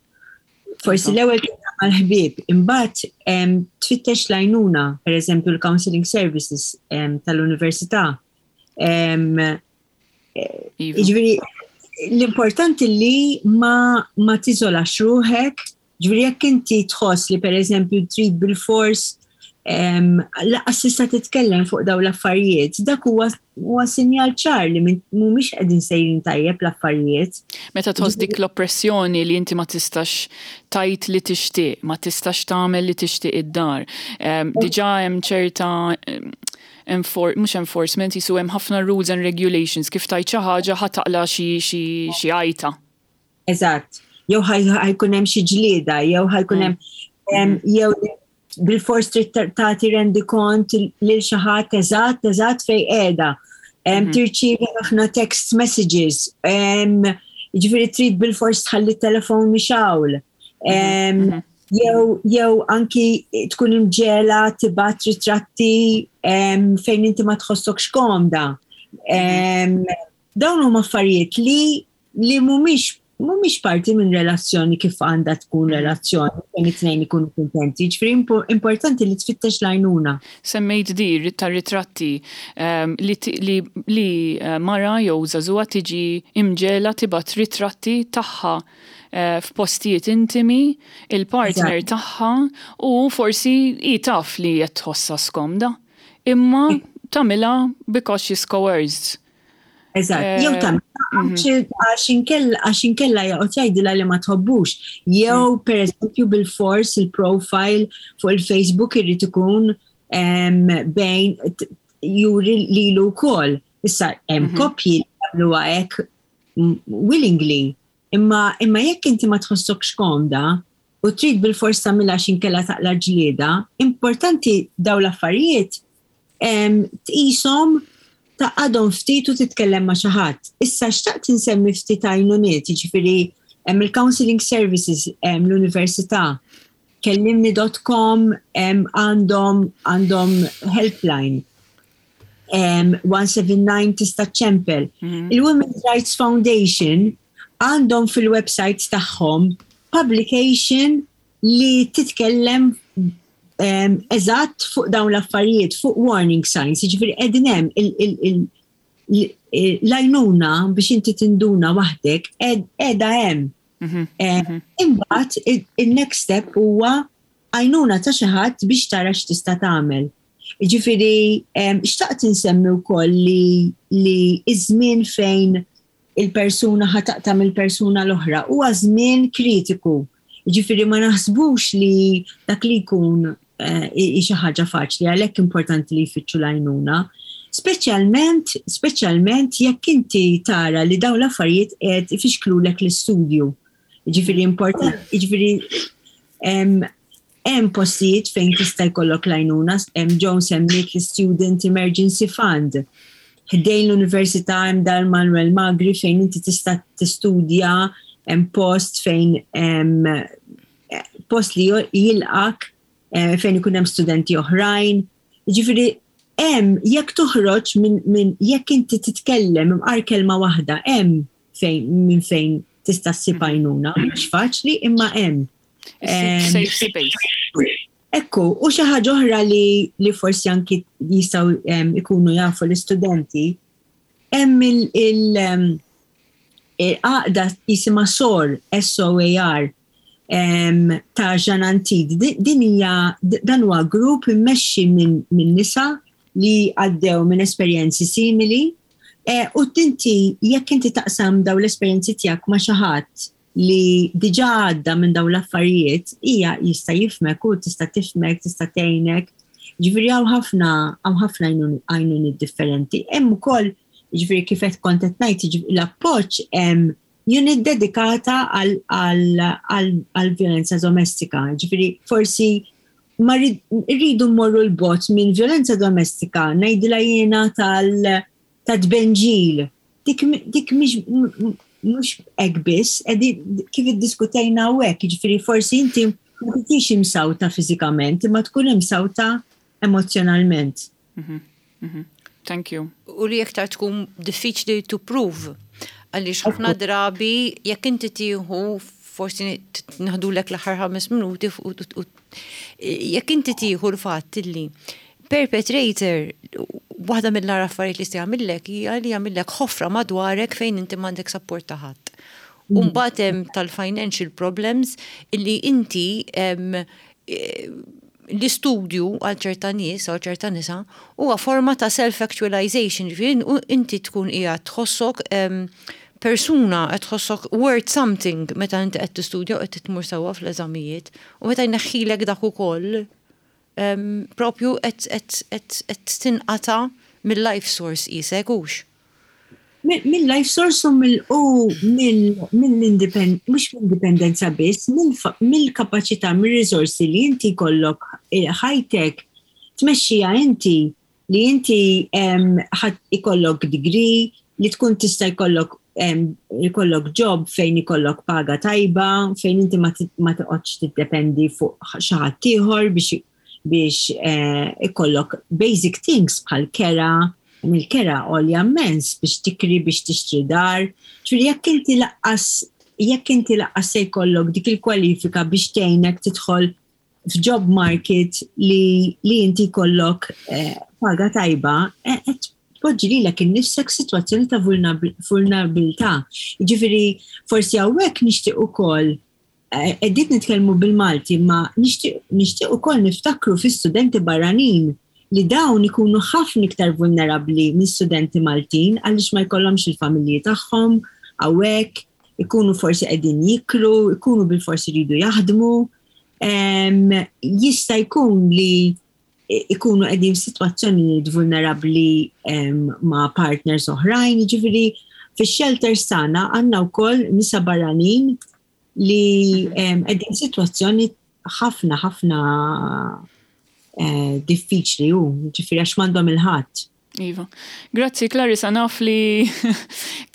Forsi l-ewwel mal-ħbieb, imbagħad tfittex l-għajnuna, pereżempju l-counseling services tal-università. Eh, iva. Ġifieri l-importanti li ma, ma tiżolax ruħek, ġifieri jekk inti tħoss li pereżempju trid bil-fors lanqas tista' titkellem fuq daw l-affarijiet, dak huwa huwa sinjal ċar li mhumiex qegħdin sejrin tajjeb l-affarijiet. Meta tħoss dik l-oppressjoni li inti ma tistax tgħid li tixtieq, ma tistax tagħmel li tixtieq id-dar. Diġà hemm ċerta mhux enforcement, jisu hemm ħafna rules and regulations, kif tgħid xi ħaġa ħa taqla' xi xi għajta. Eżatt. Jew ħa jkun hemm xi ġlieda, jew ħa jkun hemm mm. jew bil-fors trid tagħti rendikont lil xi ħadd eżatt eżatt fejn qiegħda. Mhm. Tirċievi ħafna text messages, ġifieri trid bil-fors tħalli telefon mixgħul. Mhm, mhm. Jew jew anki tkun imġiegħla tibgħat ritratti fejn inti ma tħossokx komda. Dawn huma affarijiet li li mhumiex mhumiex parti minn relazzjoni kif għandha tkun relazzjoni fejn it-tnejn ikunu kuntenti. Ġifieri importanti li tfittex l-għajnuna. Semmejt dir ta' ritratti um, li, li, li eh, mara jew żagħżugħa tiġi imġiegħla tibgħat ritratti tagħha uh, f'postijiet intimi, il-partner tagħha, u forsi hi taf li qed tħossha skomda. Imma tagħmilha because she's coerced. Eżatt, jew eh, tagħmilha mhm. għax inkella joqgħod jgħidilha li ma tħobbux. Jew mm. pereżempju bil-fors il-profile fuq il-Facebook irid ikun bejn juri lilu wkoll. Issa hemm mhm. koppji li jagħmluha hekk willingly. Imma imma jekk inti ma tħossokx komda u trid bil-fors tagħmilha għax inkella taqla' ġlieda, importanti daw l-affarijiet tqishom, taqgħadhom ftit u titkellem ma' xi ħadd. Issa xtaqt insemmi ftit għajnuniet, jiġifieri hemm il-counseling services l-università, kellimni punt com għandhom għandhom helpline. one seven nine tista' ċempel. Mhm. Il-Women's Rights Foundation għandhom fil-website tagħhom publication li titkellem eżatt fuq dawn l-affarijiet, fuq warning signs, jiġifieri qegħdin hemm l-għajnuna biex inti tinduna waħdek qiegħda hemm. Mhm, eh, mhm. Imbagħad il-next step huwa għajnuna ta' xi ħadd biex tara x'tista' tagħmel. Ġifieri xtaqt insemmi wkoll li li iż-żmien fejn il-persuna ħa taqta' mill-persuna l-oħra huwa żmien kritiku. Ġifieri ma naħsbux li dak li jkun eh, xi ħaġa faċli, għalhekk importanti li jfittxu l-għajnuna. Speċjalment, speċjalment jekk inti tara li dawn l-affarijiet qed ifixklulek l-istudju. Ġifieri important, ġifieri hemm postijiet fejn tista' jkollok l-għajnuna, hemm Joan semmiet l-Student Emergency Fund. Ħdejn l-Università hemm dar Manuel Magri fejn inti tista' tistudja, hemm post fejn hemm post li jilqak eh, fejn ikun hemm studenti oħrajn. Ġifieri hemm jekk toħroġ minn min, jekk inti titkellem imqar kelma waħda hemm fejn minn fejn tista' ssib għajnuna. Mhux faċli imma hemm. Safe space. Ekku, u xi ħaġa oħra li, li forsi anki jistgħu em, ikunu jafu l-istudenti, hemm il- il em, il-għaqda jisimha SOAR, S O A R, em, ta' Jeanne Antide. Di- Din hija dan huwa grupp immexxi minn min nisa li għaddew minn esperjenzi simili. E, u tinti, jekk inti taqsam daw l-esperjenzi tiegħek ma' xi ħadd li diġà għadda minn daw l-affarijiet, hija jista' jifhmek u tista' tifhmek, tista' tgħinek. Ġifieri hawn ħafna hawn ħafna għajnuni differenti. Hemm ukoll, ġifieri kif qed kont qed ngħid, ġifieri l-appoġġ, hemm unit dedikata għal violenza domestika. Ġifieri forsi ma rridu mmorru 'l bogħod minn violenza domestika, ngħidilha jiena tal ta' tbenġil. Dik dik mhix mhux hekk biss, kif iddiskutejna hawnhekk, ġifieri forsi inti ma tkunx imsawta fiżikament, imma tkun imsawta emozjonalment. Mhm, mhm. Thank you. U li iktar tkun diffiċli to prove. Għaliex ħafna drabi jekk inti tieħu, forsi naħdulek l-aħħar ħames minuti, jekk inti tieħu l-fatt li perpetrator, waħda mill-agħar affarijiet li jagħmillek hija li jagħmillek ħofra madwarek fejn inti m'għandek support ta' ħadd. U mbagħad hemm tal-financial problems illi inti l-istudju għal ċerta nies għal ċerta nisa huwa forma ta' self-actualization, ġifieri inti tkun qiegħed tħossok persuna, qed tħossok worth something meta inti qed tistudja u qed tmur sewwa fl-eżamijiet, u meta jneħħilek dak ukoll propju qed tinqata' mill-life source isek hux. Mill-life source u mill-independ, mhux mill-indipendenza biss, mill-kapaċità, mill-risorsi li inti kollok eh, ħajtek tmexxija inti, li inti ikollok degree, li tkun tista' jkollok ikollok job fejn ikollok paga tajba, fejn inti ma toqgħodx tiddependi fuq xi ħadd ieħor biex biex eh, ikollok basic things bħal kera, mill-kera għolja immens biex tikri, biex tixtri dar. Ġifieri jekk inti lanqas jekk inti lanqas se jkollok dik il-kwalifika biex tgħinek tidħol f'job market li, li inti jkollok eh, paga tajba, eh, tpoġġi lilek innifsek situazzjoni ta' vulnerabilità. Ġifieri forsi hawnhekk nixtieq ukoll, qegħdin nitkellmu bil-Malti, ma nixtieq ukoll niftakru fi studenti barranin li dawn ikunu ħafna iktar vulnerabbli minn studenti Maltin għaliex ma jkollhomx il-familji tagħhom hawnhekk, ikunu forsi qegħdin jikru, ikunu bil-forsi jridu jaħdmu. Jista' jkun li ikunu qegħdin f'sitwazzjonijiet vulnerabbli ma' partners oħrajn, ġifieri fix-shelters tagħna għandna wkoll nisa barranin li qegħdin sitwazzjoni ħafna ħafna eh, diffiċli u ġifieri għax m'għandhom 'il ħadd. Iva. Grazzi, Clarissa, naf li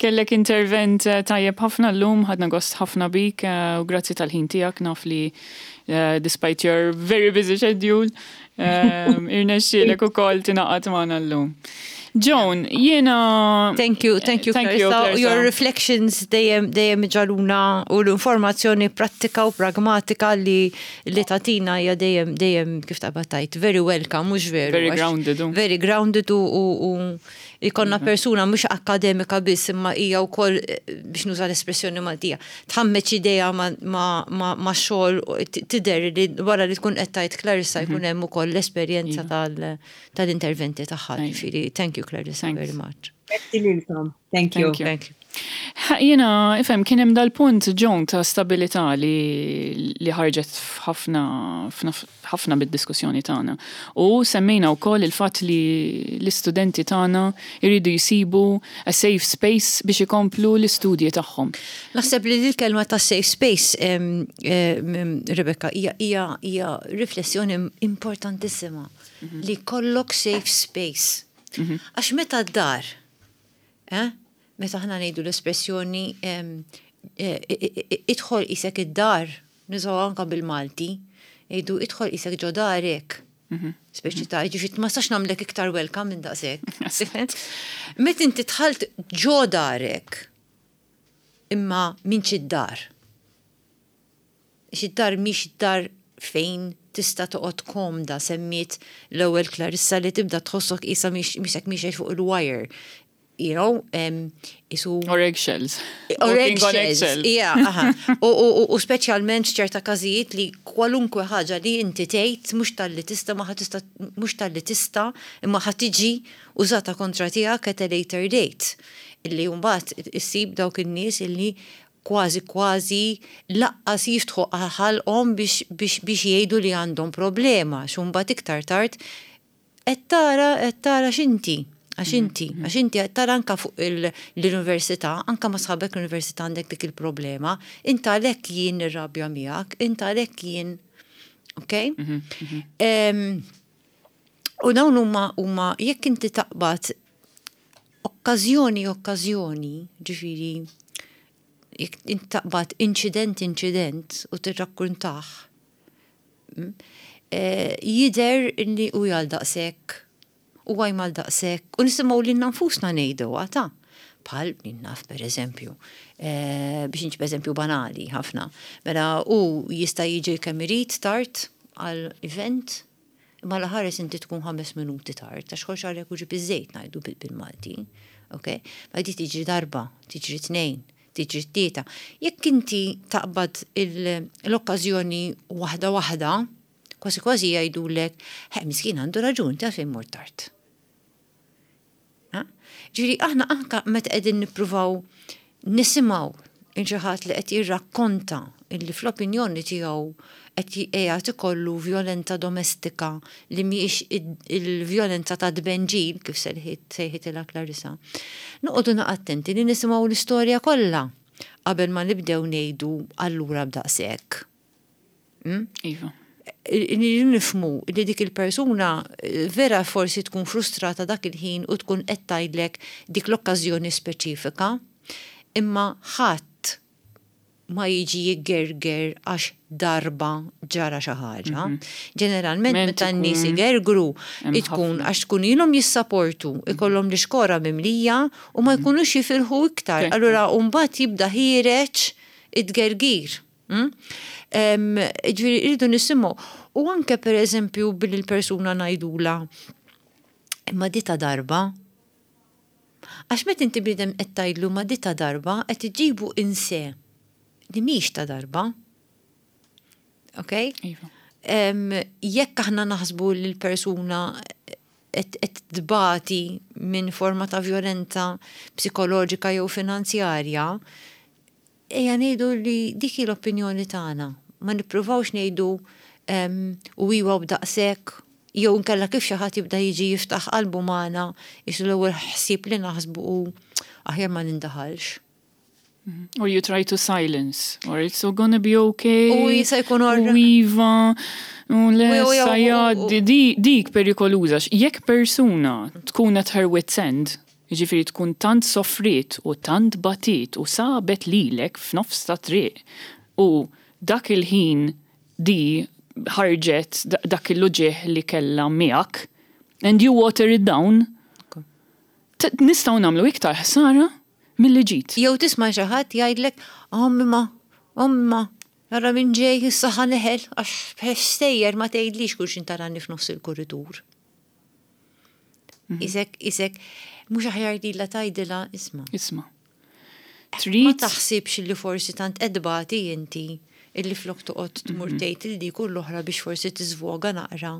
kellek intervent eh, tajjeb ħafna llum, ħadna gost ħafna bik eh, u grazzi tal-ħin tiegħek, naf li despite your very busy schedule, irnexxielek ukoll tingħaqad magħna llum. Joan, jiena. Thank you, thank you, thank you, Clarissa. Your reflections dejjem dejjem ġaluna u l-informazzjoni prattika u pragmatika li li tagħtina hija dejjem dejjem kif taqbad tgħid, very welcome, mhux veru? Very grounded. Very grounded u u ikonna mhm. persuna mhux akademika biss imma hija wkoll, biex nuża l-espressjoni Maltija, tħammeċ idea ma' xogħol, tidher li wara li tkun qed tgħid Clarissa jkun mhm. hemm ukoll l-esperjenza iva. tal-interventi tagħha. Ġifieri, thank you, Clarissa, very much. Thank you. Thank you. Jiena, ifhem, kien hemm dal-punt, John, ta' stabilità li, li ħarġet f'ħafna ħafna bid-diskussjoni tagħna. U semmejna wkoll il-fatt li l-istudenti tagħna jridu jsibu a safe space biex ikomplu l-istudji tagħhom. Naħseb li l-kelma ta' safe space, em, em, Rebecca, hija hija hija riflessjoni importantissima li jkollok safe space. Għax meta d-dar, eh? Meta aħna ngħidu l-espressjoni em, eh, eh, eh, idħol isek id-dar, nużaw anka bil-Malti, ngħidu idħol isek ġo darek. Speċi ta' ġifieri ma sax nagħmlek iktar welcome minn daqshekk. Meta inti dħalt ġo darek, imma minn id-dar. Id-dar mhix id-dar fejn tista' toqgħod komda. Semmiet l-ewwel Clarissa li tibda tħossok isa mixek mixek fuq il-wire. You know, um, isu Or eggshells. Or Walking on eggshells. eggshells. Yeah, aha. U, u, u, u speċjalment f'ċerta każijiet li kwalunkwe ħaġa li inti tgħid mhux talli tista' ma ħa tista' mhux talli tista' imma ħa tiġi użata kontra tiegħek at a later date. Illi mbagħad issib dawk in-nies illi kważi kważi lanqas jiftħu ħalqhom biex biex biex jgħidu li għandhom problema, x'mbagħad iktar tard qed tara qed tara x'inti. Għax inti, għax inti qed tara anka fuq il- l-università, anka ma sħabek l-università għandek dik il-problema, inta għalhekk jien nirrabja miegħek, inta għalhekk jien, ok? Em, U dawn huma huma jekk inti taqbad okkażjoni okkażjoni, ġifieri jekk inti taqbad inċident inċident u tirrakkuntah, mm, eh, jidher li u għal daqshekk u għaj mal daqshekk u nisimgħu lilna nfusna ngħidu ta' bħal naf per eżempju, eh, biex nġib eżempju banali ħafna. Mela u jista' jiġi kemm irid tard għal event, imma la ħares inti tkun ħames minuti tard, għax ħox għalek u ġib iż-żejt ngħidu bil- bil-Malti. Ok? Ma di tiġri darba, tiġri tnejn, tiġri tlieta. Jekk inti taqbad il- l-okkażjoni waħda waħda, kważi kważi jgħidulek, he, miskin għandu raġun, ta' fejn mort tard. Ha? Ġifieri, aħna anka meta qegħdin nippruvaw nisimgħu xi ħadd li qed jirrakkonta illi fl-opinjoni tiegħu qed qiegħed ikollu violenza domestika li mhijiex il-violenza ta' tbenġil kif sejħit sejħitilha Clarissa. Noqogħdu attenti li nisimgħu l-istorja kollha qabel ma nibdew ngħidu allura b'daqshekk. Mm? Iva. Nirridu nifhmu li dik il-persuna eh, vera forsi tkun frustrata dak il-ħin u tkun qed tgħidlek dik l-okkażjoni speċifika, imma ħadd ma jiġi jgerger għax darba ġara xi ħaġa. Ġeneralment Ment meta n-nies ikun igergru hemm tkun ħafna. għax tkun ilhom jissaportu, ikollhom l-ixkora mimlija u ma jkunux jifilħu iktar. Ekku. Allura mbagħad jibda ħiereġ it-gergir. Mm? Em, Ġifieri rridu nisimgħu. U anke per eżempju billi l-persuna ngħidula imma di ta' darba. Għax meta inti bniedem qed tgħidlu ma di ta' darba qed iġibu inse li mhix ta' darba. Ok? Iva. Em, jekk aħna naħsbu li l-persuna qed qed tbati minn forma ta' violenza psikoloġika jew finanzjarja, ejja ngħidu li dik hi l-opinjoni tagħna. Ma nippruvawx ngħidu em, u iwa b'daqshekk jew nkella kif xi ħadd jibda jiġi jiftaħ qalbu magħna isu l-ewwel ħsieb li naħsbu u aħjar ma nindaħalx. Or you try to silence, or it's all gonna be okay. U jista' jkun or- U iva, u le, U- u- u- sajad, di, dik perikoluża. Jekk persuna tkun at her wit's end, jiġifieri tkun tant soffrit u tant batit u sabet lilek f'nofs ta' triq u dak il-ħin di ħarġet da- dak il-uġigħ li kella miegħek and you water it down, t- nistgħu nagħmlu iktar ħsara milli ġid. Jew tisma' xi ħadd jgħidlek, omma, omma, ara minn ġej issa ħa neħel għax sejjer ma tgħidlix kull x'in tarani f'nofs il-kuritur. Isek, isek, mhux aħjar lilha tgħidilha isma'. Isma'. Ma Trid taħsibx li forsi tant edbati inti illi flok toqgħod tmur tgħid il dik u l-oħra biex forsi tiżvoga naqra.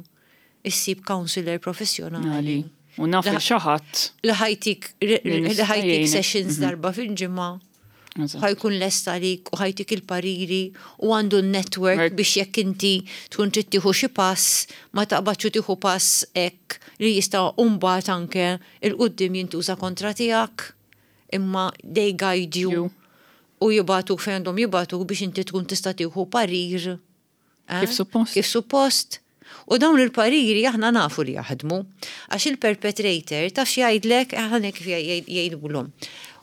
Issib counselor professjonali. Nali. U naf Li- il xi ħadd Li ħa jtik Li li nista' ħa jtik jgħinek. sessions darba fil-ġimgħa. Ħa jkun lest għalik u ħa jtik il-pariri u għandu n-network biex jekk inti tkun trid tieħu xi pass, ma taqbadx u tieħu pass hekk li jista' mbagħad anke 'il quddiem jintuża kontra tiegħek. Imma they guide you u jibagħtuk fejn għandhom jibagħtuk biex inti tkun tista' tieħu parir. Eh? Kif suppost. Kif suppost. U dawn il-pariri aħna nafu li jaħdmu. Għax il-perpetrator taf jgħidlek, aħna kif jgħidulhom.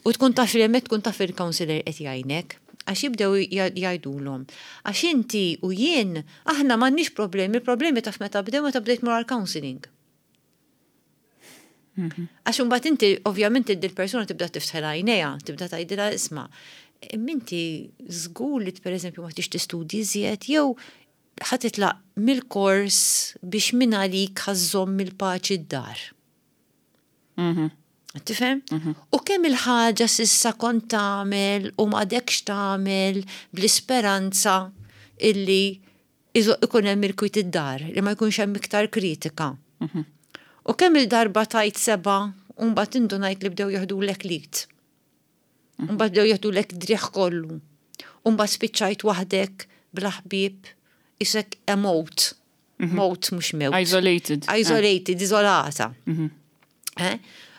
U tkun taf li hemmhekk tkun taf il-counselor qed jgħinek, għax jibdew jgħidulhom. Għax inti u jien aħna m'għandniex problemi, il-problemi taf meta bdew, meta bdejt mur għal-counseling. Mhm. Għax imbagħad inti ovvjament il-persuna tibda tiftħel għajnejha, tibda tgħidilha, "Isma', inti żgur li pereżempju ma tix tistudji iżjed jew ħa titlaq mill-kors biex minn għalik ħa żżomm il-paċi d-dar?" Mhm. Tifhem? Mhm. U kemm il-ħaġa s'issa kont tagħmel u m'għadekx tagħmel bl-isperanza illi ikun hemm il-kwit id-dar, li ma jkunx hemm iktar kritika. Mhm. U kemm il-darba tajt seba' u mbagħad indunajt li bdew jeħdulek l-id. U mbagħad bdew jeħdulek driegħ kollu. U mbagħad spiċċajt waħdek bla ħbieb, isek a mote. Mhm. Mote mhux mewt. Isolated. Isolated, izolata. Eh?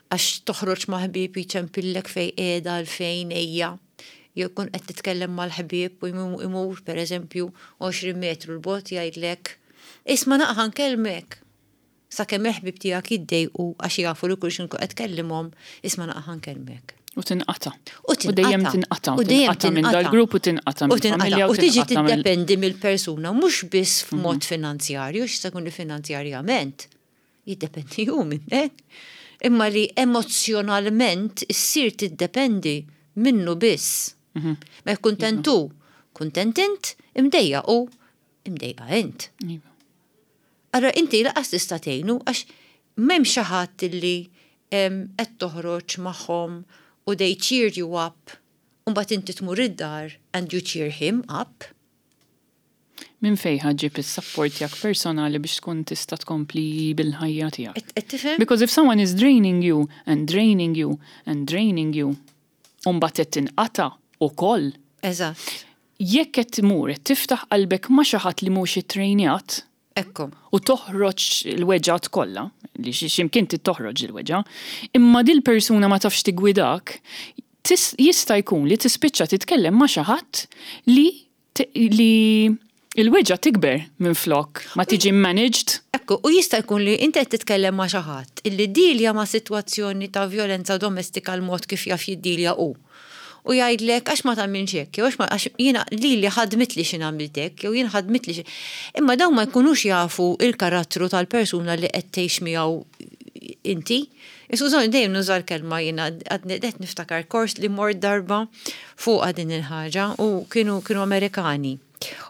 Għax toħroġ ma' ħbieb jċempillek fej qiegħda, fejn ejja. Jew kun qed titkellem mal-ħbieb u imur pereżempju għoxrin metru 'l bogħod jgħidlek, "Isma' naqra nkellmek." Sakemm il-ħbieb tiegħek jiddejqu għax jafu li kull x'in qed tkellimhom, "Isma' naqra nkellmek." U tinqata. U U dejjem tinqata. U dejjem tinqata minn dal-grupp u tinqata U tinqata. mill-familja. U tiġi tinqata mill- tiddependi mill-persuna, mhux biss f'mod finanzjarju, x'se jkun li finanzjarjament. Jiddependi hu minnek. Imma li emozjonalment issir tiddependi minnu biss. Ma kuntent hu, kuntent int, imdejjaq u imdejqa int. Iva. Allora inti lanqas tista' tgħinu għax m'hemm xi ħadd illi em, qed toħroġ magħhom u they cheer you up u mbagħad inti tmur id-dar and you cheer him up. Minn fejn ħa ġġib is-support tiegħek personali biex tkun tista' tkompli bil-ħajja tiegħek? Qed qed tifhem? Because if someone is draining you and draining you and draining you, u mbagħad qed tinqata' ukoll. Eżatt. Jekk qed tmur qed tiftaħ qalbek ma' xi ħadd li mhux ittrejnjat Ekku. u toħroġ il-weġgħat kollha, li xi x'imkien toħroġ il-weġgħa, imma dil persuna ma tafx tigwidak, tis- jista' jkun li tispiċċa titkellem ma' xi ħadd li li il-weġgħa tikber minn flok ma tiġi managed. Ekku, u jista' jkun li inti qed titkellem ma' xi ħadd illi ddilja ma' sitwazzjoni ta' violenza domestika l-mod kif jaf jiddilja hu. U jgħidlek, "Għax ma tagħmilx hekk, jew għax ma għax jiena lili ħadmitli xi nagħmiltek, jew jien ħadmitli xi." Imma dawn ma jkunux jafu il-karattru tal-persuna li qed tgħix miegħu inti. Iskużawni, dejjem nuża l-kelma jiena, għadni qed niftakar kors li mort darba fuq din il-ħaġa u kienu kienu Amerikani.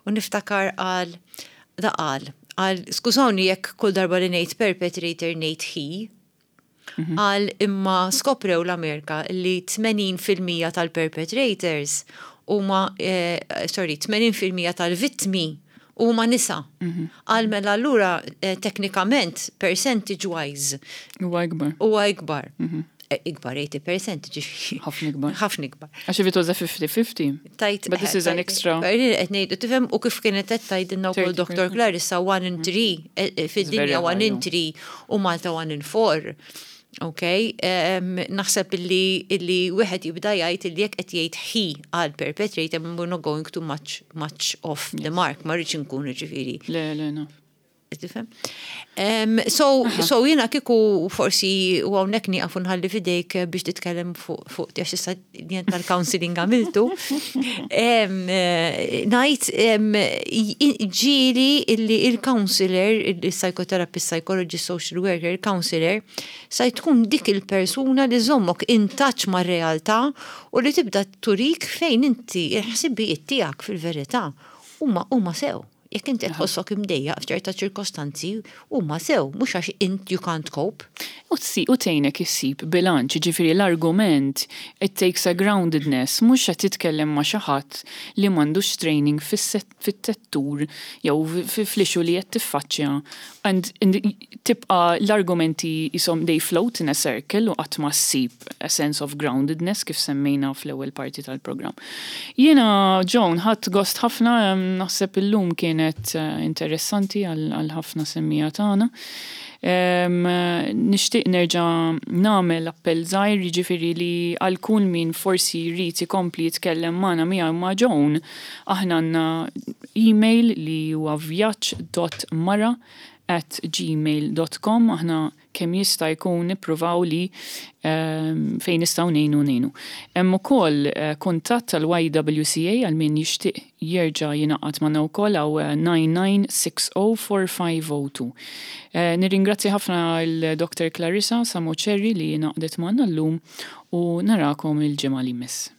U niftakar għal da qal, għal skużawni jekk kull darba li ngħid perpetrator ngħid he, qal imma skoprew l-Amerika li tmenin fil-mija tal-perpetrators huma, eh, sorry, tmenin fil-mija tal-vittmi huma nisa. Qal mela allura eh, teknikament percentage wise Huwa ikbar. Huwa ikbar. Eh, Ikbar tmenin fil-mija ġifieri. Ħafna ikbar. Ħafna ikbar. Għax if it was a fifty-fifty. Tajt. But this is an extra. Qed ngħidu, tifhem, u kif kienet qed tgħidilna wkoll thirty percent. Doctor Clarissa, one in three fid-dinja very one high, in no? three u Malta one in four. Ok, um, naħseb illi illi wieħed jibda jgħid illi jekk qed jgħid he għal perpetrator, we're not going too much much off the mark, ma rridx inkun ġifieri. Le, le, no. Tifhem? Um, so, so jiena kieku forsi u hawnhekk nieqaf u nħalli fidejk biex titkellem fuq fuq għax issa jien tal-counseling għamiltu. Um, eh, Ngħid um, ġieli illi il-counselor, il-psychotherapist, psychologist, social worker, il-counselor, sa tkun dik il-persuna li żommok in touch ma' realtà u li tibda turik fejn inti il-ħsibijiet tiegħek fil-verità huma huma sew. Jekk inti tħossok imdejjaq f'ċerta ċirkostanzi, huma sew, mhux għax int you can't cope. U tsi u tgħinek issib bilanċ, ġifieri l-argument, it takes a groundedness, mhux qed titkellem ma' xi ħadd li m'għandux training fis-settur jew fl-issue li qed tiffaċċja. And, and tibqa l-argumenti jisom they float in a circle u qatt ma ssib a sense of groundedness kif semmejna fl-ewwel parti tal-programm. Jiena Joan ħadt gost ħafna, naħseb illum kienet eh, interessanti għal ħafna semmiegħa tagħna. Nixtieq nerġa' nagħmel appell żgħir, jiġifieri li għal kull min forsi jrid ikompli jitkellem magħna miegħu ma' Joan, aħna għandna email li huwa vjaġġ dot mara at gmail dot com. Aħna kemm jista' jkun nippruvaw li um, fejn nistgħu ngħinu ngħinu. Hemm ukoll uh, kuntatt tal-Y W C A għal min jixtieq jerġa' jingħaqad magħna wkoll hawn nine nine six zero four five zero two. Uh, nirringrazzja ħafna l-Doctor Clarissa Samocherry li ngħaqdet magħna llum u narakom il-ġimgħa li jmiss.